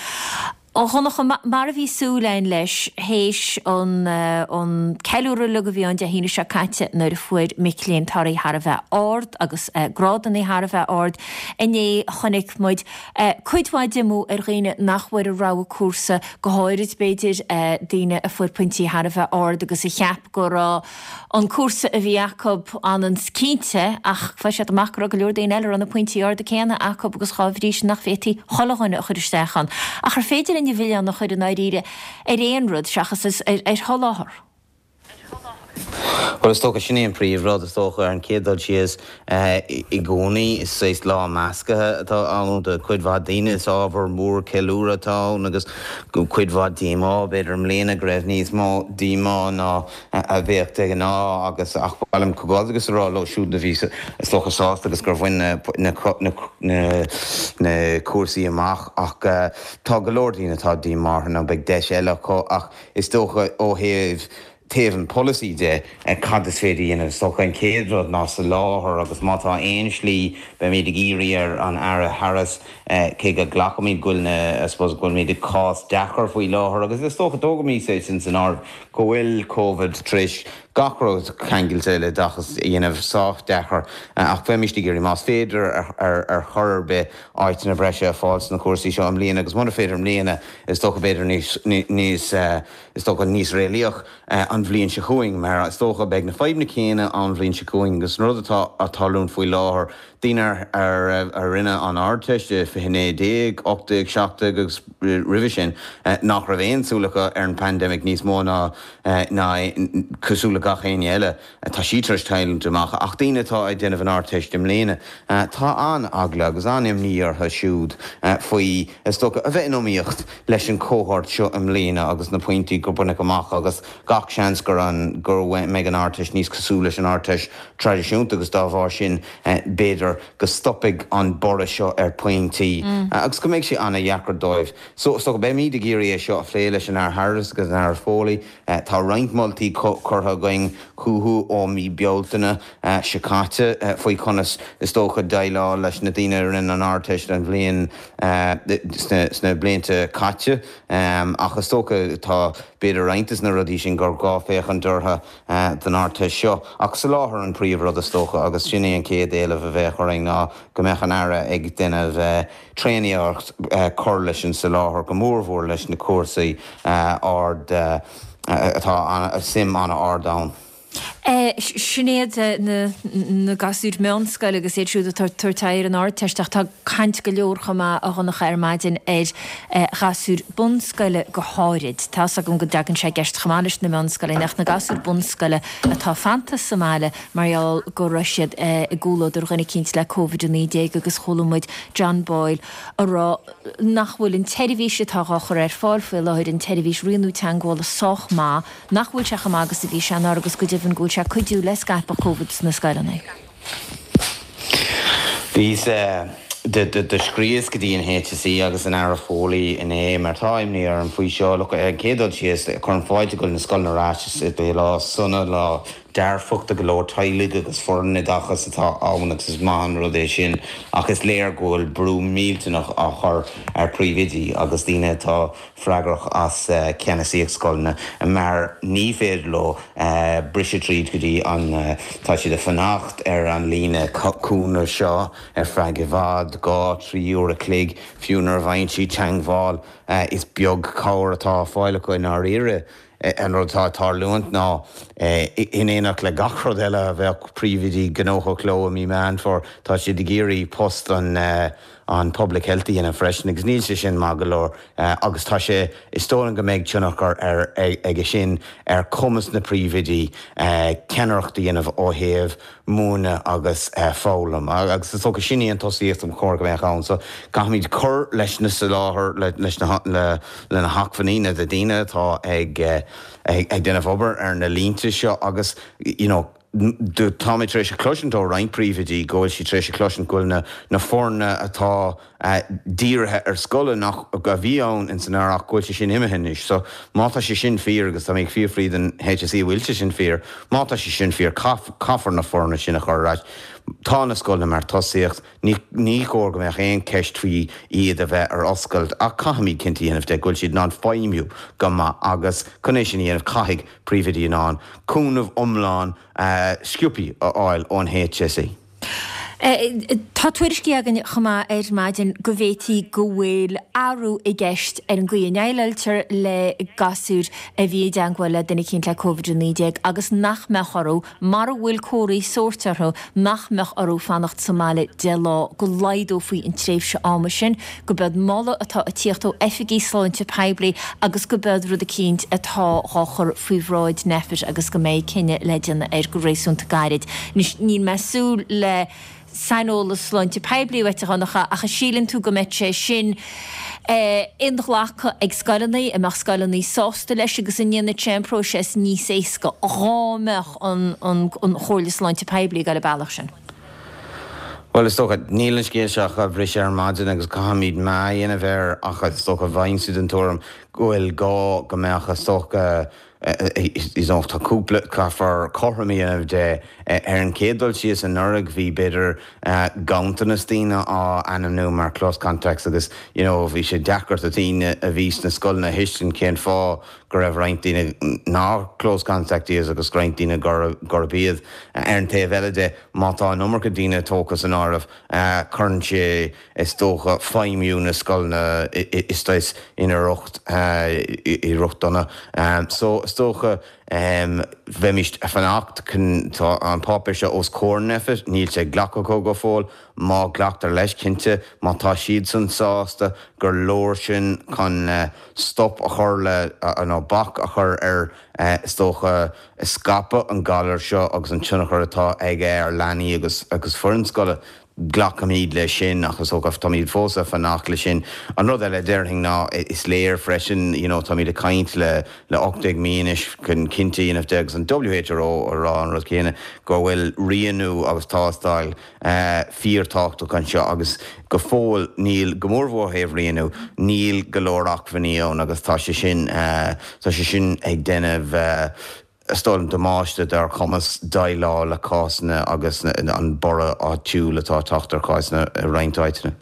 A Dhonncha, mar a bhí súil againn leis, théis an an ceiliúradh uilig a bhí ann Dé hAoine seo caite nuair a fuair mic léinn torthaí thar a bheith ard agus grádanna thar a bheith ard, inné chonaic muid cuid mhaith diomú ar dhaoine nach bhfuair a rogha cúrsa, go háirid b'fhéidir daoine a fuair pointí thar a bheith ard agus a cheap go raibh an cúrsa a bhí acu ionann cinnte ach fuair siad amach go raibh go leor daoine eile a raibh na pointí arda céanna acu agus dhá bhrí sin nach bhféadfaí chuile dhuine a chur isteach ann. Ach ar féidir linn an milleán a chur i ndáiríre ar aon rud seachas ar sholáthar? Bhuel, is dócha, sin é an príomhrud, is dócha, ar an chéad dul síos, i gcónaí is saghas lá measctha atá ann do chuid mhaith daoine. Is ábhar mór ceiliúradh atá ann agus cuid mhaith díomá, b'fhéidir i mbliana go raibh níos mó díomá ná a bheadh de ghnáth agus ach ba mhaith liom comhghairdeachas a rá leo siúd a bhí is dócha sásta agus gur bhain na na cúrsaí amach ach tá go leor daoine atá díomá orthu nó beidh deis eile acu ach is dócha ó thaobh taobh an polasaí de, cad is féidir a dhéanamh? Is dócha an chéad rud ná soláthar agus má tá aon slí, beimid ag iarraidh ar an Aire Harris, cé go nglacaimid go bhfuil na, I suppose, go bhfuilimid i gcás deacair faoi láthair agus is dócha tógaimis é sin san áireamh go bhfuil Covid tar éis gach rud ceangailte le oideachas a dhéanamh sách deacair ach bheimist ag iarraidh más féidir ar chor ar bith áiteanna breise a fháil sna cúrsaí seo i mbliana agus mura féidir i mbliana is dócha b'fhéidir níos, níos, is dócha níos réalaíoch an bhliain seo chugainn mar is dócha beidh na fadhbanna céanna an bhliain seo chugainn agus an rud atá ag tarlúint faoi láthair, daoine a rinne an Ardteist i fiche naoi déag, ocht déag, seacht déag agus roimhe sin nach raibh aon súil acu ar an bpaindemic níos mó ná ná cosúil le gach éinne eile, tá sí tar éis tarlúint amach ach daoine atá ag déanamh an Ardteist i mbliana, tá an-eagla agus an-imní orthu siúd faoi, is dócha, a bheith in iomaíocht leis an cohort seo i mbliana agus na pointí gur baineadh amach agus gach seans gur an go mbeidh an Ardteist níos cosúil leis an Ardteist traidisiúnta agus dá bharr sin b'fhéidir go stopfaidh an borradh seo ar pointí agus go mbeidh sé an-dheacair dóibh. So so beimid ag iarraidh é seo a phlé leis an Aire Harris agus an Aire Foley. Tá roinnt moltaí curtha againn chucu ó mí Bealtaine seo caite faoi conas is dócha déileáil leis na daoine a rinne an Ardteist an bhliain sna blianta caite ach is dócha tá b'fhéidir roinnt de na rudaí sin gur gá féachaint orthu don Ardteist seo. Ach soláthar an príomhrud is dócha agus sin é an chéad éileamh a bheadh orainn ná go mbeadh an Aire ag déanamh tréaniarracht cur leis an soláthar, go mórmhór leis na cúrsaí ard atá suim an-ard ann. Sin iad na gasúir meánscoile agus iad siúd atá ag tabhairt aghaidh ar an Ardteist ach tá caint go leor chomh maith, a Dhonncha, ar maidin ar ghasúir bunscoile go háirid. Tá's agam go dtagann sé i gceist chomh maith leis na meánscoileanna ach na gasúir bunscoile atá fanta sa mbaile mar gheall go raibh siad i gcomhluadar dhuine eicínt le Covid a naoi déag agus chuala muid John Boyle a rá nach bhfuil an tseirbhís atá dhá chur ar fáil faoi láthair, an tseirbhís rianú teagmhála sách maith, nach bhfuil sé chomh maith agus a bhí sé anuraidh agus go deimhin go bhfuil sé ag cuidiú le scaipeadh Covid sna scoileanna. Bhíos, do scríos go dtí an HSE agus an Aire Foley inné mar tá imní orm faoi seo. Look, ar an gcéad dul síos, cuirim fáilte go bhfuil na scoileanna ar ais, is é lá sona, lá dearfach do go leor teaghlaigh agus foireann oideachais atá ann agus is maith an rud é sin ach is léir go bhfuil brú millteanach á chur ar phríomhoidí agus daoine atá freagrach as ceannasaíocht scoileanna mar ní féidir leo briseadh tríd go dtí an tá siad ag fanacht ar an líne cúnamh seo ar feadh i bhfad, dhá, trí uair a chloig, fiú nuair a bhfaigheann siad teagmháil is beag cabhair atá á fáil acu i ndáiríre. An rud atá ag tarlúint ná, in éineacht le gach rud eile a bheadh príomhoidí gnóthach leo i mí Meán Fómhair, tá siad ag iarraidh post an an Public Health a dhéanamh freisin agus níl sé sin maith go leor agus tá sé, is dóigh liom go mbeidh tionchar aige sin ar chumas na príomhoidí ceannaireacht a dhéanamh ó thaobh múineadh agus foghlaim agus is dócha sin í an tosaíocht ba chóir go mbeadh ann. So caithfimid cur leis na soláthar, leis na le na hacmhainní, na daoine atá ag ag déanamh obair ar na línte seo agus you know táimid tar éis a chloisint ó roinnt príomhoidí go bhfuil siad tar éis a chloisint go bhfuil na na foirne atá dírithe ar scoileanna nach a bhí ann ins an earrach go bhfuil sé sin imithe anois. So má tá sé sin fíor, agus tá mé ag fiafraí den HSE an bhfuil sé sin fíor, má tá sé sin fíor caithfear na foirne sin a chur ar ais. Tá na scoileanna mar tosaíocht, ní ní chóir go mbeadh aon cheist faoi iad a bheith ar oscailt ach caithfimid cinnte a dhéanamh de go bhfuil siad in ann feidhmiú go maith agus chun é sin a dhéanamh caithfidh príomhoidí in ann cúnamh iomlán sciobtha a fháil ón HSE. Tá tuairiscí againn chomh maith ar maidin go bhféadfaí go bhfuil athrú i gceist ar an gcaoi a ndéileáiltear le gasúir a bhí i dteagmháil le duine eicínt le Covid a naoi déag agus nach mbeadh orthu, mara bhfuil comharthaí sóirt orthu, nach mbeadh orthu fanacht sa mbaile deich lá, go laghdófaí an tréimhse ama sin, go b'eod moladh atá ag tíocht ó oifigigh sláinte poiblí agus go b'eod rud eicínt atá dhá chur faoi bhráid Nphet agus go mbeidh cinneadh le déanamh air go réasúnta gairid. Anois, níl mé ag súil le saineolas sláinte poiblí uait, a Dhonncha, ach an síleann tú go mbeidh sé sin inghlactha ag scoileanna, an mbeadh scoileanna sásta leis agus an ndéanfadh sé an próiseas níos éasca dhá mbeadh an Chomhairle Sláinte Poiblí ag dul an bealach sin? Bhuel, is dócha, níl an scéal seo ach á bhriseadh ar maidin agus caithfimid meá a dhéanamh air ach is dócha bheinnse den tuairim go bhfuil gá go mbeadh, is dócha, you know, tá cúpla caithfear cothrom a dhéanamh de ar an chéad dul síos anuraidh bhí b'fhéidir ganntanas daoine á ainmniú mar close contacts agus you know, bhí sé deacair do daoine a bhí sna scoileanna a thuiscint cén fáth go raibh roinnt daoine nach close contact iad agus roinnt daoine gurb iad. Ar an taobh eile de, má tá an iomarca daoine tógtha san áireamh, cuireann sé is dócha feidhmiú na scoileanna is ina riocht i riocht dona. So is dócha bheimid ag fanacht chun tá an páipéar seo os comhair Nphet, níl sé glactha acu go fóill, má ghlactar leis cinnte, má tá siadsan sásta gur leor sin chun stop a chur le nó bac a chur ar is dócha scaipeadh an ghalair seo agus an tionchar atá aige ar leanaí agus agus foireann scoile. Glacaimid leis sin ach is dócha táimid fós ag fanacht leis sin. An rud eile a déarfainn ná is léir freisin you know táimid ag caint le le ocht déag mí anois chun cinnte a dhéanamh de agus an WHO ag rá an rud céanna go bhfuil rianú agus tástáil fíorthábhachtach anseo agus go fóill níl, go mórmhór ó thaobh rianú, níl go leor acmhainní ann agus tá sé sin tá sé sin ag déanamh is dóigh liom damáiste dár chumas déileáil le cásanna agus an borradh áitiúil atá ag teacht ar chásanna i roinnt áiteanna.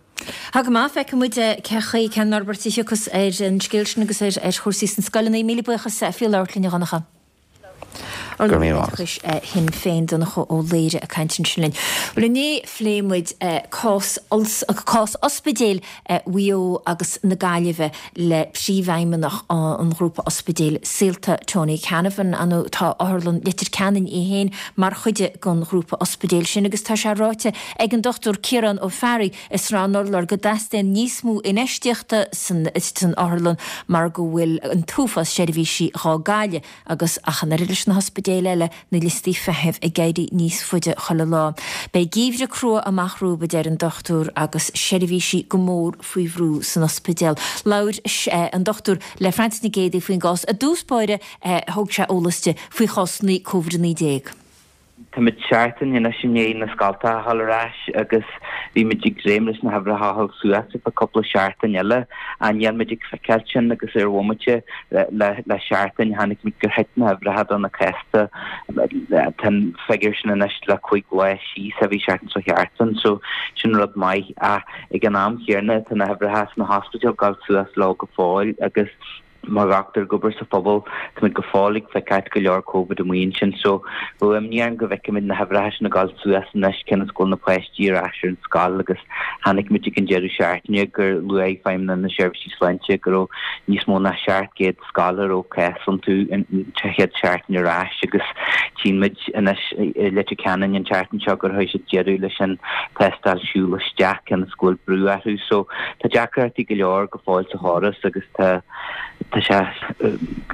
Tá go maith, feicfidh muid cé chaoi, cén fhorbairt a thiocfas ar an scéal sin agus ar chúrsaí sna scoileanna. Míle buíochas faoi labhairt linn, a Dhonncha. Urlabhraí Oideachais Shinn Féin, Donncha Ó Laoghaire ag caint ansin linn. Bhuel inné phléigh muid cás cás ospidéil Mhaigh Eo agus na Gaillimhe le Príomhfheidhmeannach an ghrúpa ospidéil Saolta, Tony Canavan. Ar ndóigh tá Otharlann Leitir Ceanainn í féin mar chuid den ghrúpa ospidéil sin agus tá sé ráite ag an Dochtúir Ciarán Ó Fearraigh i Srath an Urláir go dteastaíonn níos mó infheistíochta san otharlann mar go bhfuil an t-uafás seirbhísí dhá gcailleadh agus ach an oiread leis na hospidéil eile, na liostaí feithimh ag éirí níos faide chuile lá. Beidh geimhreadh crua amach romhaibh, a deir an dochtúir, agus seirbhísí go mór faoi bhrú san ospidéal. Labhair an dochtúir le Frances Nic Géadaigh faoin gcás. I dtús báire thug sé eolas di faoi chásanna Covid a naoi déag. Táimid seachtain anois i ndiaidh na scoltacha a dhul ar ais agus bhí muid ag dréim leis na huimhreacha a dhul suas ar feadh cúpla seachtain eile ach níl muid ag feiceáil sin agus ar bhomaite le seachtain chonaic muid gur thit na huimhreacha do na cásanna. Tá an figiúr sin anois le cúig lá síos a bhí seachtain seo thart ann so sin rud maith ach ag an am chéanna tá na huimhreacha sna hospidéil ag dul suas leo go fóill agus Mar dhochtúir ag obair sa phobal, táimid go fóill ag feiceáil go leor Covid amuigh ansin so bheadh imní orm go bhfeicfimid na huimhreacha sin ag dul suas anois cionn is go bhfuil na páistí ar ais ar an scoil agus chonaic muid ag an deireadh seachtaine gur luaigh Feidhmeannacht na Seirbhísí Sláinte go raibh níos mó ná seacht gcéad scoil a raibh cás iontu an chéad seachtain ar ais agus tchíonn muid anois i Leitir Ceanainn an tseachtain seo gur chuir siad deireadh leis an tástáil siúl isteach cionn is go bhfuil brú orthu so tá deacrachtaí go leor go fóill sa chóras agus tá Tá sé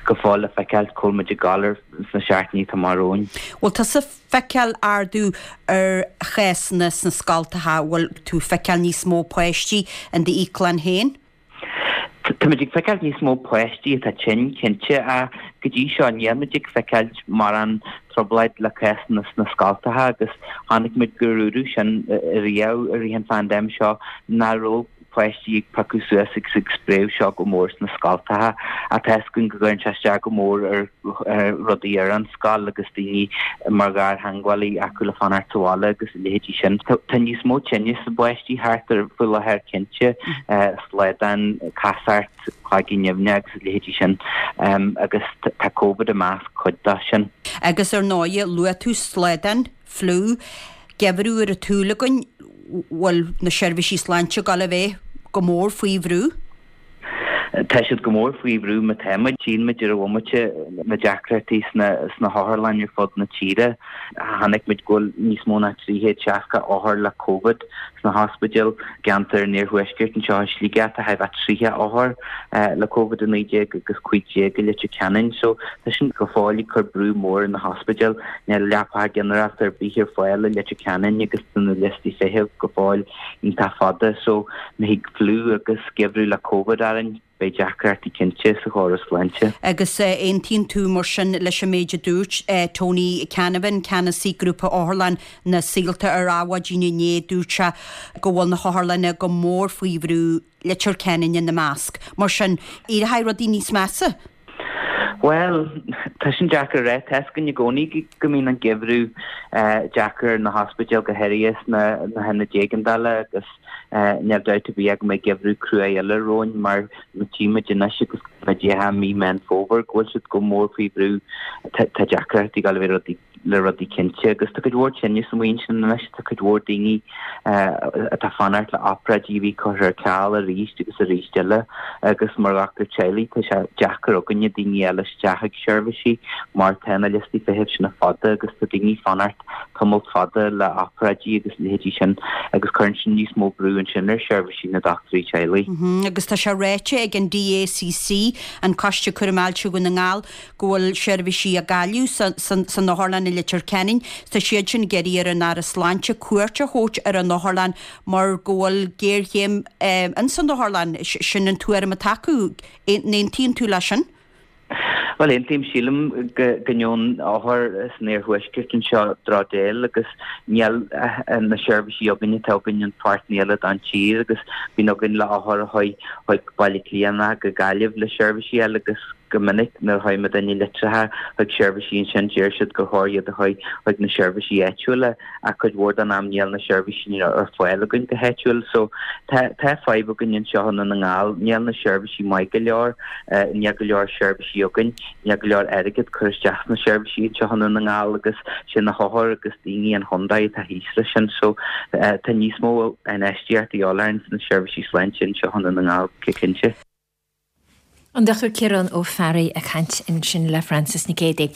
go fóill le feiceáil cá bhfuil muid ag dul ar sna seachtainí atá amach romhainn. Bhfuil tusa ag feiceáil ardú ar chásanna sna scoltacha? Bhfuil tú ag feiceáil níos mó páistí in d'íoclann féin? Táimid ag feiceáil níos mó páistí atá tinn, cinnte, ach go dtí seo níl muid ag feiceáil mórán trioblóid le cásanna sna scoltacha agus chonaic muid gur dúradh sin riamh i rith an phaindéim seo nach raibh páistí ag piocadh suas agus ag spréadh seo go mór sna scoltacha ach tá fhios againn go gcuireann sé isteach go mór ar rudaí ar an scoil agus daoine mar ghartheangmhálaí acu le fanacht sa bhaile agus a leithéidí sin. Tá níos mó tinnis i bpáistí thart ar faoi láthair cinnte, slaghdán, casacht, cloigeann nimhneach agus a leithéidí sin agus tá Covid i measc cuid de sin. Agus ar ndóigh, luaigh tú slaghdán, fliú, geimhreadh ar an tsúil againn, bhfuil na seirbhísí sláinte ag dul a bheith go mór faoi bhrú? Tá siad go mór faoi bhrú má tá muid. Tchíonn muid ar an bhomaite na deacrachtaí sna sna hotharlanna ar fud na tíre. Chonaic muid go bhfuil níos mó ná trí chéad seasca othar le Covid sna hospidéil. I gceantar an Iarthuaiscirt anseo i Sligeach tá chóir a bheith tríocha othar le Covid a naoi déag agus cúig déag i Leitir Ceanainn. So tá sin go fóill ag cur brú mór ar na hospidéil. Níl leapacha ginearálta ar bith ar fáil i Leitir Ceanainn agus tá na liostaí feithimh go fóill iontach fada so má thig fliú agus geimhreadh le Covid orainn, beidh deacrachtaí cinnte sa chóras sláinte. Agus aontaíonn tú mar sin leis an méid a dúirt Tony Canavan, Ceannasaí Grúpa Otharlann na Saolta ar Adhmhaidin inné, dúirt sé go bhfuil na hotharlanna go mór faoi bhrú, Leitir Ceanainn ina measc. Mar sin, éireoidh rudaí níos measa? Bhuel, tá sin deacair a rá. Tá a fhios againn i gcónaí go mbíonn an geimhreadh deacair ar na hospidéil, go háirithe sna hionaid éigeandála agus níl dabht ar bith ach go mbeidh geimhreadh crua eile romhainn mar tchí muid anois agus muid i mí Meán Fómhair go bhfuil siad go mór faoi bhrú. Tá deacrachtaí ag gabháil a bheith le rudaí cinnte agus tá cuid mhór tinneas amuigh ansin anois, tá cuid mhór daoine atá ag fanacht le obráidí a bhí curtha ar ceal arís agus arís eile agus mar dhochtúir teaghlaigh tá sé deacair againne daoine a fháil isteach ag seirbhísí mar tá na liostaí feithimh sin fada agus tá daoine ag fanacht tamall fada le obráidí agus leithéidí sin agus cuireann sin níos mó brú ansin ar sheirbhísí na dochtúirí teaghlaigh. Agus tá sé ráite ag an DACC, an Coiste Cúraim Ailse Dhún na nGall, go bhfuil seirbhísí á gcailleadh san otharlann i Leitir Ceanainn. Tá siad sin ag iarraidh ar an Aire Sláinte cuairt a thabhairt ar an otharlann mar go bhfuil géarchéim ins an otharlann. Sin an tuairim atá acu. An aontaíonn tú leis sin? Bhuel, aontaím. Sílim go ngeobhann othair san iarthuaisceart anseo drochdhail agus níl na seirbhísí againn atá againn in páirteanna eile den tír agus bíonn againn le othair a chuaigh chuig Baile Átha Cliath nó go Gaillimh le seirbhísí eile agus go minic nuair a chuaigh muidinne litreacha chuig seirbhísí ansin deir siad gur chóir iad a chuaigh chuig na seirbhísí áitiúla ach cuid mhór den am níl na seirbhísí ar fáil againn go háitiúil so tá tá fadhb againn anseo i nDún na nGall níl na seirbhísí maith go leor níl go leor seirbhísí againn níl go leor airgead curtha isteach sna seirbhísí anseo i nDún na nGall agus sin na hothair agus daoine an chontae atá thíos leis sin so tá níos mó infheistíocht a dhíobháil orainn sna seirbhísí sláinte anseo i nDún na nGall go cinnte. An Dochtúir Ciarán Ó Fearraigh ag caint ansin le Frances Nic Géadaigh.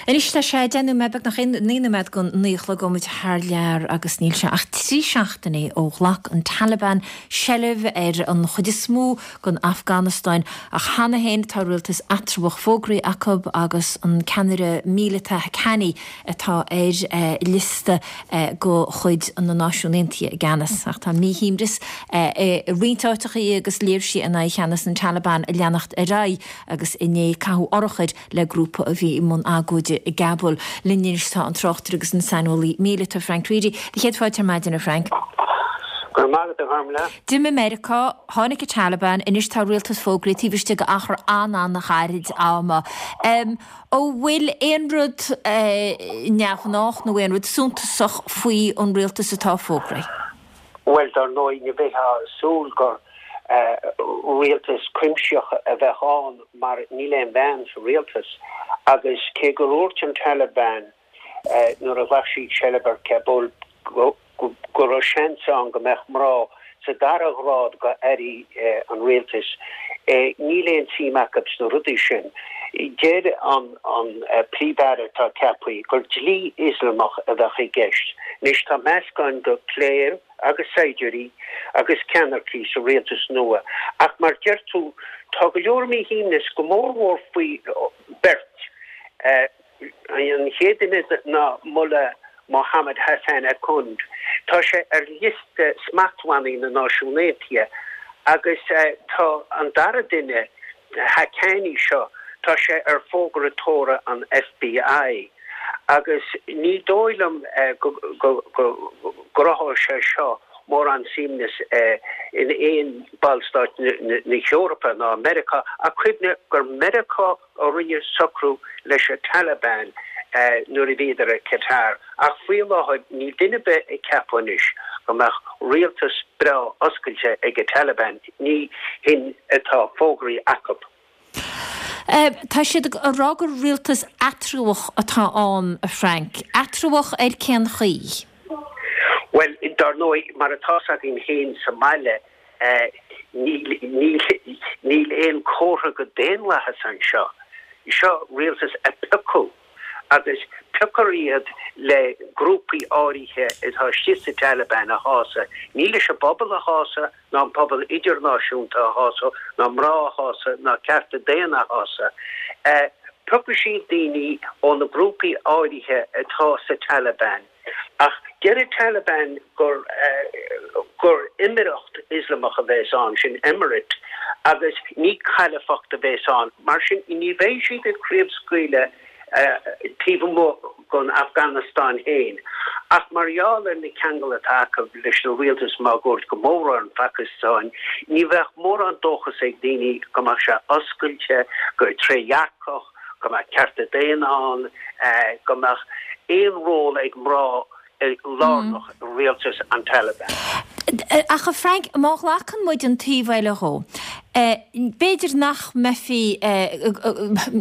Anois tá sé deich nóiméad, beagnach naoi nóiméad go naoi a chlog, gabhfaidh muid thar lear agus níl sé ach trí seachtainí ó ghlac an Taliban seilbh ar an chuid is mó den Afganastáin ach cheana féin tá rialtas eatramhach fógraithe acu agus an ceannaire míleata Haqqani atá ar liosta de chuid na Náisiún Aontaithe i gceannas. Ach tá míshuaimhneas i roinnt áiteachaí agus léirsithe in aghaidh cheannas an Taliban ag leanacht ar aghaidh agus inné caitheadh urchair le grúpa a bhí i mbun agóide i gCabul. Linn anois tá an tráchtaire agus an saineolaí míleata Frank Reidy. Do chéad fáilte ar maidin, a Frank. Go raibh maith agat, a Ghormfhlaith. D'imigh Meiriceá, tháinig an Taliban, anois tá rialtas fógraithe taobh istigh d'achar an-an-ghairid ama. An bhfuil aon rud neamhghnách nó aon rud suntasach faoi an rialtas atá fógraithe? Bhuel, dar ndóigh, ní bheifeá ag súil gur rialtas cuimsitheach a bheadh ann mar níl aon bhean sa rialtas agus cé gur dhúirt an Taliban nuair a ghlac siad seilbh ar Kabul go raibh seans ann go mbeadh mná sa dara grád go airí an rialtais, níl aon tsuim acu sna rudaí sin. Deir an Príomh-Aire atá ceaptha gur dlí Ioslamach a bheadh i gceist. Anois tá meascán de chléir agus saighdiúirí agus ceannaircigh sa rialtas nua ach mar deir tú tá go leor míshuaimhneas go mór mhór faoi beirt. An chéad duine ná Mullah Mohammad Hassan Akhund. Tá sé ar liosta smachtbhannaí na Náisiún Aontaithe agus tá an dara duine, Haqqani seo, tá sé ar fógra tóra an FBI agus ní dóigh liom go gcruthóidh sé seo mórán suaimhneas in aon ballstát na hEorpa ná Meiriceá ach cuimhnigh gur Meiriceá a rinne socrú leis an Taliban nuair a bhíodar i Qatar ach faoi láthair níl duine ar bith ag ceapadh anois go mbeadh rialtas breá oscailte ag an Taliban, ní hin atá fógraithe acu. Tá siad ag rá gur rialtas eatramhach atá ann, a Frank. Eatramhach ar cén chaoi? Bhuel, dar ndóigh, mar atá 's againn féin sa mbaile, níl aon chomhartha go daonlathas anseo. Seo rialtas a piocadh agus pioctar iad le grúpaí áirithe atá istigh sa Taliban a shásamh. Ní leis an bpobal a shásamh ná an pobal idirnáisiúnta a shásamh ná mná a shásamh ná cearta daonna a shásamh. Piocfaidh siad daoine ó na grúpaí áirithe atá sa Taliban. Ach deir an Taliban gur gur Éimíreacht Ioslamach a bheas ann, sin emirate, agus ní cailifeacht a bheas ann. Mar sin ní bheidh siad ag craobhscaoileadh taobh amuigh den Afganastáin féin. Ach mar gheall ar na ceangail atá acu leis na rialtais máguaird, go mór mhór an Phacastáin, ní bheadh mórán dóchas ag daoine go mbeadh sé oscailte, go trédhearcach, go mbeadh cearta daonna ann, go mbeadh aon ról ag mná lárnach i rialtas an Taliban. Ach a Frank, má ghlacann muid an taobh eile dhó, b'fhéidir nach mbeifí,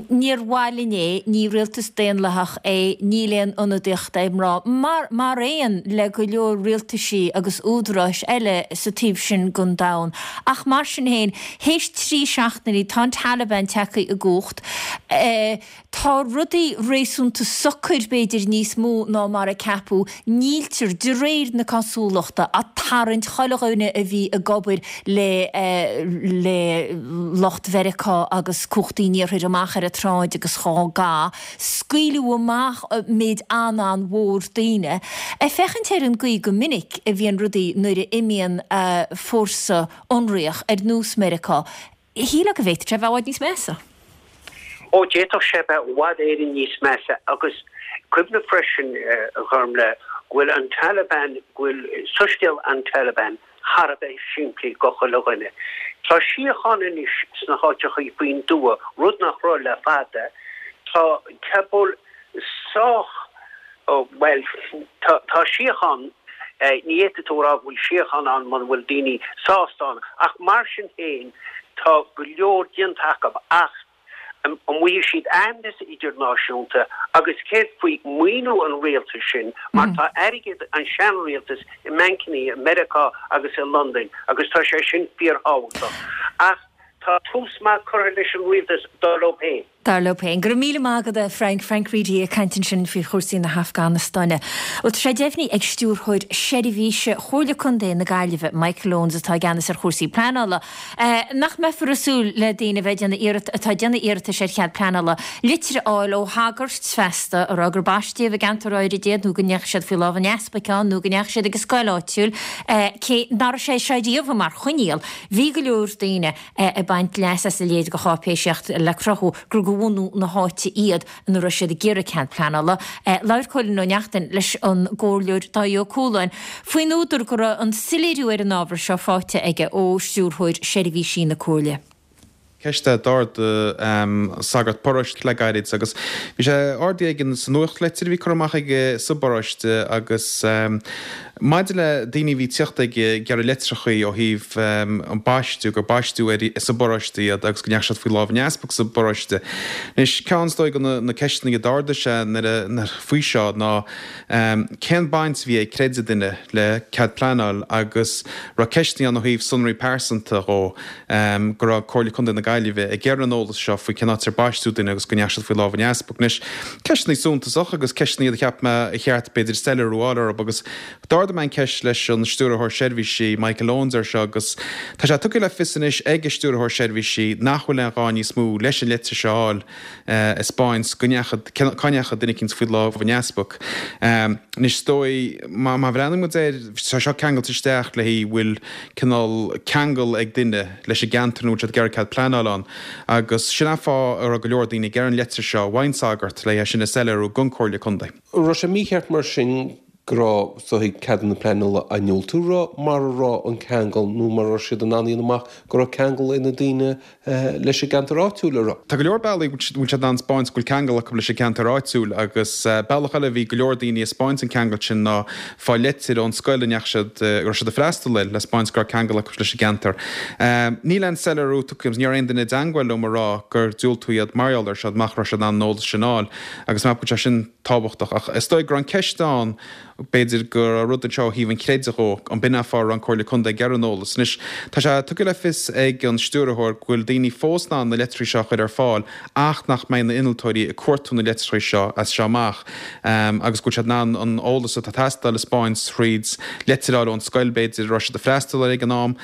níor mhaith linn é, ní rialtas daonlathach é, níl aon ionadaíocht ag mná, mar, mar aon le go leor rialtaisí agus údaráis eile sa taobh sin den domhan. Ach mar sin féin, théis trí seachtainí, tá an Taliban tagtha i gcumhacht, Tá rudaí réasúnta socair, b'fhéidir níos mó ná mar a ceapadh. Níltear, de réir na cosúlachta, ag tarraingt chuile dhuine a bhí ag obair le le lucht Mheiriceá agus cumhachtaí an Iarthair amach ar an tsráid agus dhá gca. Scaoileadh amach méid an-an-mhór daoine. Ag féachaint ar an gcaoi go minic a bhíonn rudaí nuair a imíonn fórsa ionraíoch ar nós Meiriceá, shílfeá go bhféadfadh sé a bheith i bhfad níos measa. Ó, d'fhéadfadh sé bheith i bhfad Éireann níos measa agus cuimhnigh freisin, a Ghormlaith, go bhfuil an Taliban, go bhfuil soiscéal an Taliban thar a bheith simplí go chuile dhuine. Tá síocháin anois sna háiteachaí faoin dtuath, rud nach raibh le fada. Tá Cabul sách, bhuel, tá, tá síocháin, ní fhéadfaidh tú a rá go bhfuil síocháin ann muna bhfuil daoine sásta ann, ach mar sin féin tá go leor déanta acu ach an bhfaighidh siad aitheantas idirnáisiúnta agus céard faoi maoiniú an rialtais sin mar tá airgead an seanrialtas i mbancannaí i Meiriceá agus i Londain agus tá sé sin fíorthábhachtach. Ach tá tús maith curtha leis an rialtas dar leo féin. Dar leo féin. Go raibh míle maith agat, a Frank. Frank Reidy ag caint ansin faoi chúrsaí na hAfganastáine. Bhuel, tá sé deimhnithe ag Stiúrthóir Seirbhíse Chomhairle Contae na Gaillimhe, Michael Owens, atá i gceannas ar chúrsaí pleanála, nach mbeifear ag súil le daoine a bheith ag déanamh iarrat, atá ag déanamh iarratais ar chead pleanála, litir a fháil ó shagart feasta a rá gur baisteadh i gceantar áirid iad nó go ndeachaigh siad faoi lámh an easpaig ann nó go ndeachaigh siad ag an scoil áitiúil, cé nach raibh sé seo riamh mar choinníoll. Bhí go leor daoine ag baint leas as a leithéid de cháipéisíocht le cruthú gur de bhunadh na háite iad ina raibh siad ag iarraidh cead pleanála. Labhair Cóilín Ó Neachtain leis an gComhairleoir Dáithí Ó Cualáin faoin údar go raibh an soiléiriú ar an ábhar seo faighte aige ó Stiúrthóir Seirbhísí na Comhairle. Ceist a d'ardaigh sagart paróiste le gairid agus bhí sé ardaithe aige sa nuachtlitir a bhí curtha amach aige sa bparóiste agus maidir le daoine a bhí ag tíocht ag iarraidh litreachaí ó thaobh an baisteadh, gur baisteadh sa bparóiste iad agus go ndeachaigh siad faoi lámh an easpaig sa bparóiste. Anois, ceann is dóigh de na ceisteanna a d'ardaigh sé nuair faoi seo ná cén baint a bhí ag creideamh duine le cead pleanáil agus raibh ceisteanna ann ó thaobh sonraí pearsanta dhó go raibh Comhairle Contae na Gaillimhe ag iarraidh an eolas seo faoi cén áit ar baisteadh duine agus go ndeachaigh siad faoi lámh an easpaig. Anois, ceisteanna suntasach agus ceisteanna iad a cheap mé a cheart b'fhéidir soiléiriú a fháil orthu agus d'ardaigh mé an ceist leis an Stiúrthóir Seirbhísí, Michael Owens ar seo agus tá sé tugtha le fios anois ag an Stiúrthóir Seirbhísí nach bhfuil aon ghá níos mó leis an litir seo a fháil ag 'spáint go ndeachaigh, cá ndeachaigh duine eicínt faoi lámh an easpaig. Anois is dóigh, má bhreathnaíonn muid air, tá seo ceangailte isteach le an bhfuil cineál ceangal ag duine leis an gceantar ina bhfuil siad ag iarraidh cead pleanála ann agus sin an fáth a raibh go leor daoine ag iarraidh an leitir seo ón sagart le é sin a soiléiriú don Chomhairle Contae. An raibh sé mícheart mar sin go raibh is dóigh ceadanna pleanála á ndiúltú mara raibh an ceangal nó mara raibh siad in ann a dhéanamh amach go raibh ceangal ag na daoine leis an gceantar áitiúil a raibh. Tá go leor bealaí a bhfuil siad in ann 'spáint go bhfuil ceangal acu leis an gceantar áitiúil agus bealach eile a bhí go leor daoine ag 'spáint an ceangal sin ná fáil leitir ón scoil a ndeachaigh siad, a raibh siad ag freastal air le 'spáint go raibh ceangal acu leis an gceantar. Níl aon soiléiriú tugtha agam, ní raibh aon duine i dteangmháil liom a rá gur diúltaíodh iad mar gheall air seo, nach raibh siad in ann an eolas sin a fháil agus measaim go bhfuil sé sin tábhachtach. Ach is dóigh go raibh an ceist ann, b'fhéidir go raibh rud anseo ó thaobh an chreidimh dhó, an b'in an fáth a raibh an Comhairle Contae ag iarraidh an eolas. Anois, tá sé tugtha le fios ag an Stiúrthóir go bhfuil daoine fós in ann na litreacha seo a chur ar fáil ach nach mbeidh na innealtóirí ag cuartú na litreacha seo as seo amach agus go bhfuil siad in ann an eolas atá ag teastáil a 'spáint thríd leitir a fháil ón scoil b'fhéidir a raibh siad ag freastal air ag an am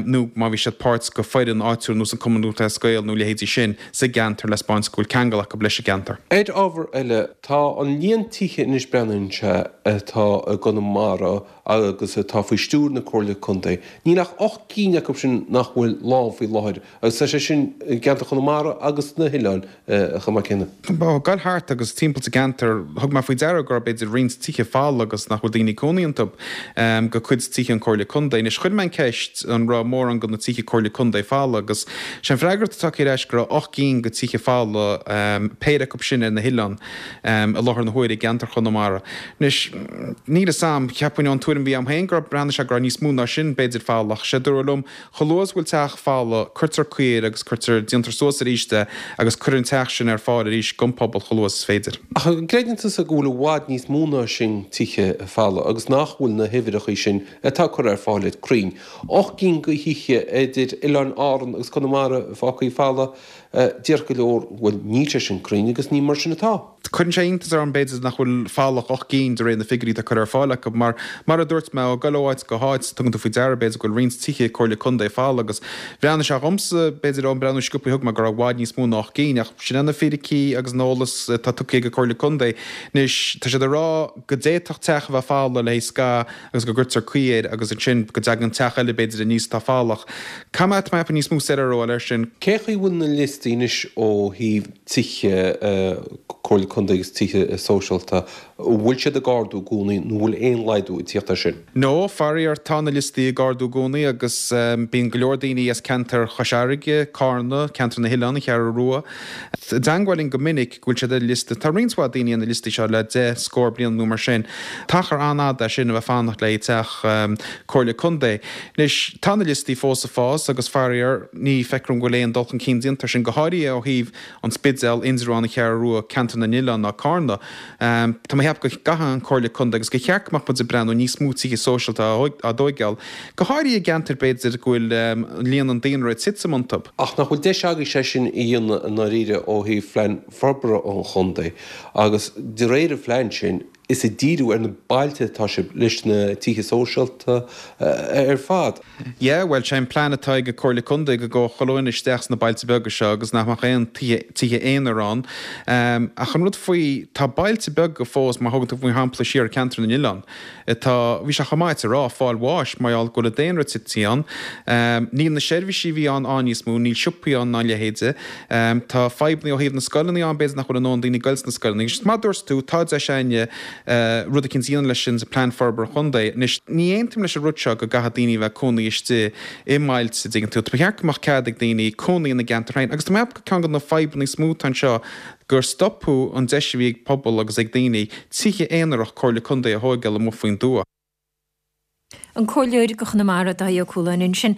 nó má bhí siad páirt go foireann áitiúil ar nós an Cumann Lúthchleas Gael nó leithéidí sin sa gceantar le 'spáint go bhfuil ceangal acu leis an gceantar. Ar ábhar eile, tá an líon tithe anois breathnaíonn sé atá i gConamara agus atá faoi stiúir na Comhairle Contae, níl ach ocht gcinn acu sin nach bhfuil lán faoi láthair agus tá sé sin i gceantar Chonamara agus na hoileáin chomh maith céanna. Ag gabháil thart agus timpeall sa gceantar, thug mé faoi deara go raibh b'fhéidir roinnt tithe folamh agus nach bhfuil daoine ag cónaí iontu, go cuid tithe an Comhairle Contae. Anois chuir mé an ceist an raibh mórán de na tithe Comhairle Contae folamh agus sé an freagairt atá tagtha ar ais go raibh ocht gcinn de tithe folamh, péire acu sin ar na hoileáin, i láthair na huaire i gceantar Chonamara. Anois níl fhios a'm, cheapfainn ón tuairim a bhí a'm féin go raibh, breathnaigh sé go raibh níos mó ná sin b'fhéidir folamh ach sé dúradh liom chomh luath is go bhfuil teach folamh cuirtear caoi air agus cuirtear, déantar suas arís é agus cuireann an teach sin ar fáil arís don pobal chomh luath is is féidir. Ach an gcreideann tusa go bhfuil i bhfad níos mó ná sin tithe folamh agus nach bhfuil na huimhreacha sin atá curtha ar fáil agat cruinn? Ocht gcinn de thithe idir Oileáin Árann agus Conamara fágtha folamh, déarfadh go leor, bhuel níl sé sin cruinn agus ní mar sin atá. Cuireann sé iontas orm b'fhéidir nach bhfuil folamh ach ocht gcinn de réir na figiúirí atá curtha ar fáil acu mar, mar a dúirt mé, ag dul ó áit go háit tugann tú faoi deara b'fhéidir go bhfuil roinnt tithe Comhairle Contae folamh agus bhreathnaigh sé dhomsa b'fhéidir ón breathnú sciobtha a thug mé go raibh i bhfad níos mó ná ocht gcinn ach sin é na fíricí agus an eolas atá tugtha ag an Comhairle Contae. Anois tá siad ag rá go d'fhéadfadh teach a bheith folamh le haghaidh scaitheamh agus go gcuirtear caoi air agus ansin go dtagann teach eile b'fhéidir aníos atá folamh ach caithfidh mé, tá mé níos mó soiléiriú a fháil air sin. Cé chaoi bhfuil na liostaí anois ó thaobh tithe Comhairle Contae agus tithe sóisialta, an bhfuil siad ag ardú i gcónaí nó an bhfuil aon laghdú ag tíocht air sin? No, faraor, tá na liostaí ag ardú i gcónaí agus bíonn go leor daoine as ceantar Chois Fharraige, Cárna, ceantar na nOileán, an Cheathrú Rua, i dteangmháil linn go minic go bhfuil siad ar liosta. Tá roinnt mhaith daoine ar na liostaí seo le deich scór bliain nó mar sin. T-achar an-fhada é sin a bheith ag fanacht le haghaidh teach Comhairle Contae. Anois, tá na liostaí fós ag fás agus faraor, ní feictear dom go bhfuil aon dul chun cinn déanta air sin, go háirithe ó thaobh An Spidéal, Indreabhán, An Cheathrú Rua, Ceantar na nOileán ná Cárna. Tá mé ag ceapadh go gcaithfidh an Comhairle Contae agus gur cheart go mbeadh muid ag breathnú níos mó tithe sóisialta á dtóigeáil, go háirithe i gceantair b'fhéidir go bhfuil líon an daonra ag titim iontu. Ach nach bhfuil deis agaibh sé sin a dhéanamh i ndáiríre ó thaobh phlean forbartha an chontae agus de réir an phlean sin is ag díriú ar na bailte atá sibh leis na tithe sóisialta ar fad. Yeah, bhuel, sé an plean atá ag an Comhairle Contae go gabhfadh chuile dhuine isteach sna bailte beaga seo agus nach mbeadh aon tithe aonair ann. Ach an rud faoi, tá bailte beaga fós, má thugann tú mar shampla siar Ceantar na nOileán, atá, bhí sé chomh maith a rá, fáil bháis mar gheall go bhfuil an daonra tite ann. Níl na seirbhísí a bhí ann ann níos mó, níl siopaí ann ná a leithéide. Tá fadhbanna ó thaobh na scoileanna ann, b'fhéidir nach bhfuil a ndóthain daoine ag goil sna scoileanna. Agus mar a dúirt tú, tá deis againne rud eicínt a dhéanamh leis sin sa plean forbartha chontae. Anois, ní aontaím leis an rud seo go gcaithfidh daoine a bheith ag cónaí istigh i mbailte, dtuigeann tú. Ba cheart go mbeadh cead ag daoine cónaí ina gceantar féin. Agus tá mé ag ceapadh gur ceann de na fadhbanna is mó atá anseo gur stopadh an deis a bhí ag pobal agus ag daoine tithe aonarach Comhairle Contae a thóigeáil amuigh faoin dtuath. An Comhairleoir do Chonamara, Dáithí Ó Cualáin ansin.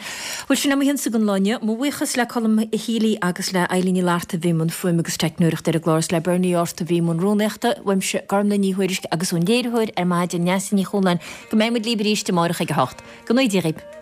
Bhuel, sin é mo chionn-sa don lá inniu. Mo bhuíochas le Colm Healy agus le Eilín Ní Fhlatharta a bhí i mbun fuaime agus teicneoireachta ar an gclár is le Bernie Art a bhí i mbun rúnaíochta. Uaimse, Gormlaith Ní Thuairisg agus ón léiritheoir ar maidin, Neasa Ní Chualáin, go mbeidh muid libh arís amárach ag a hocht. Go ngnóthaí Dia dhaoibh.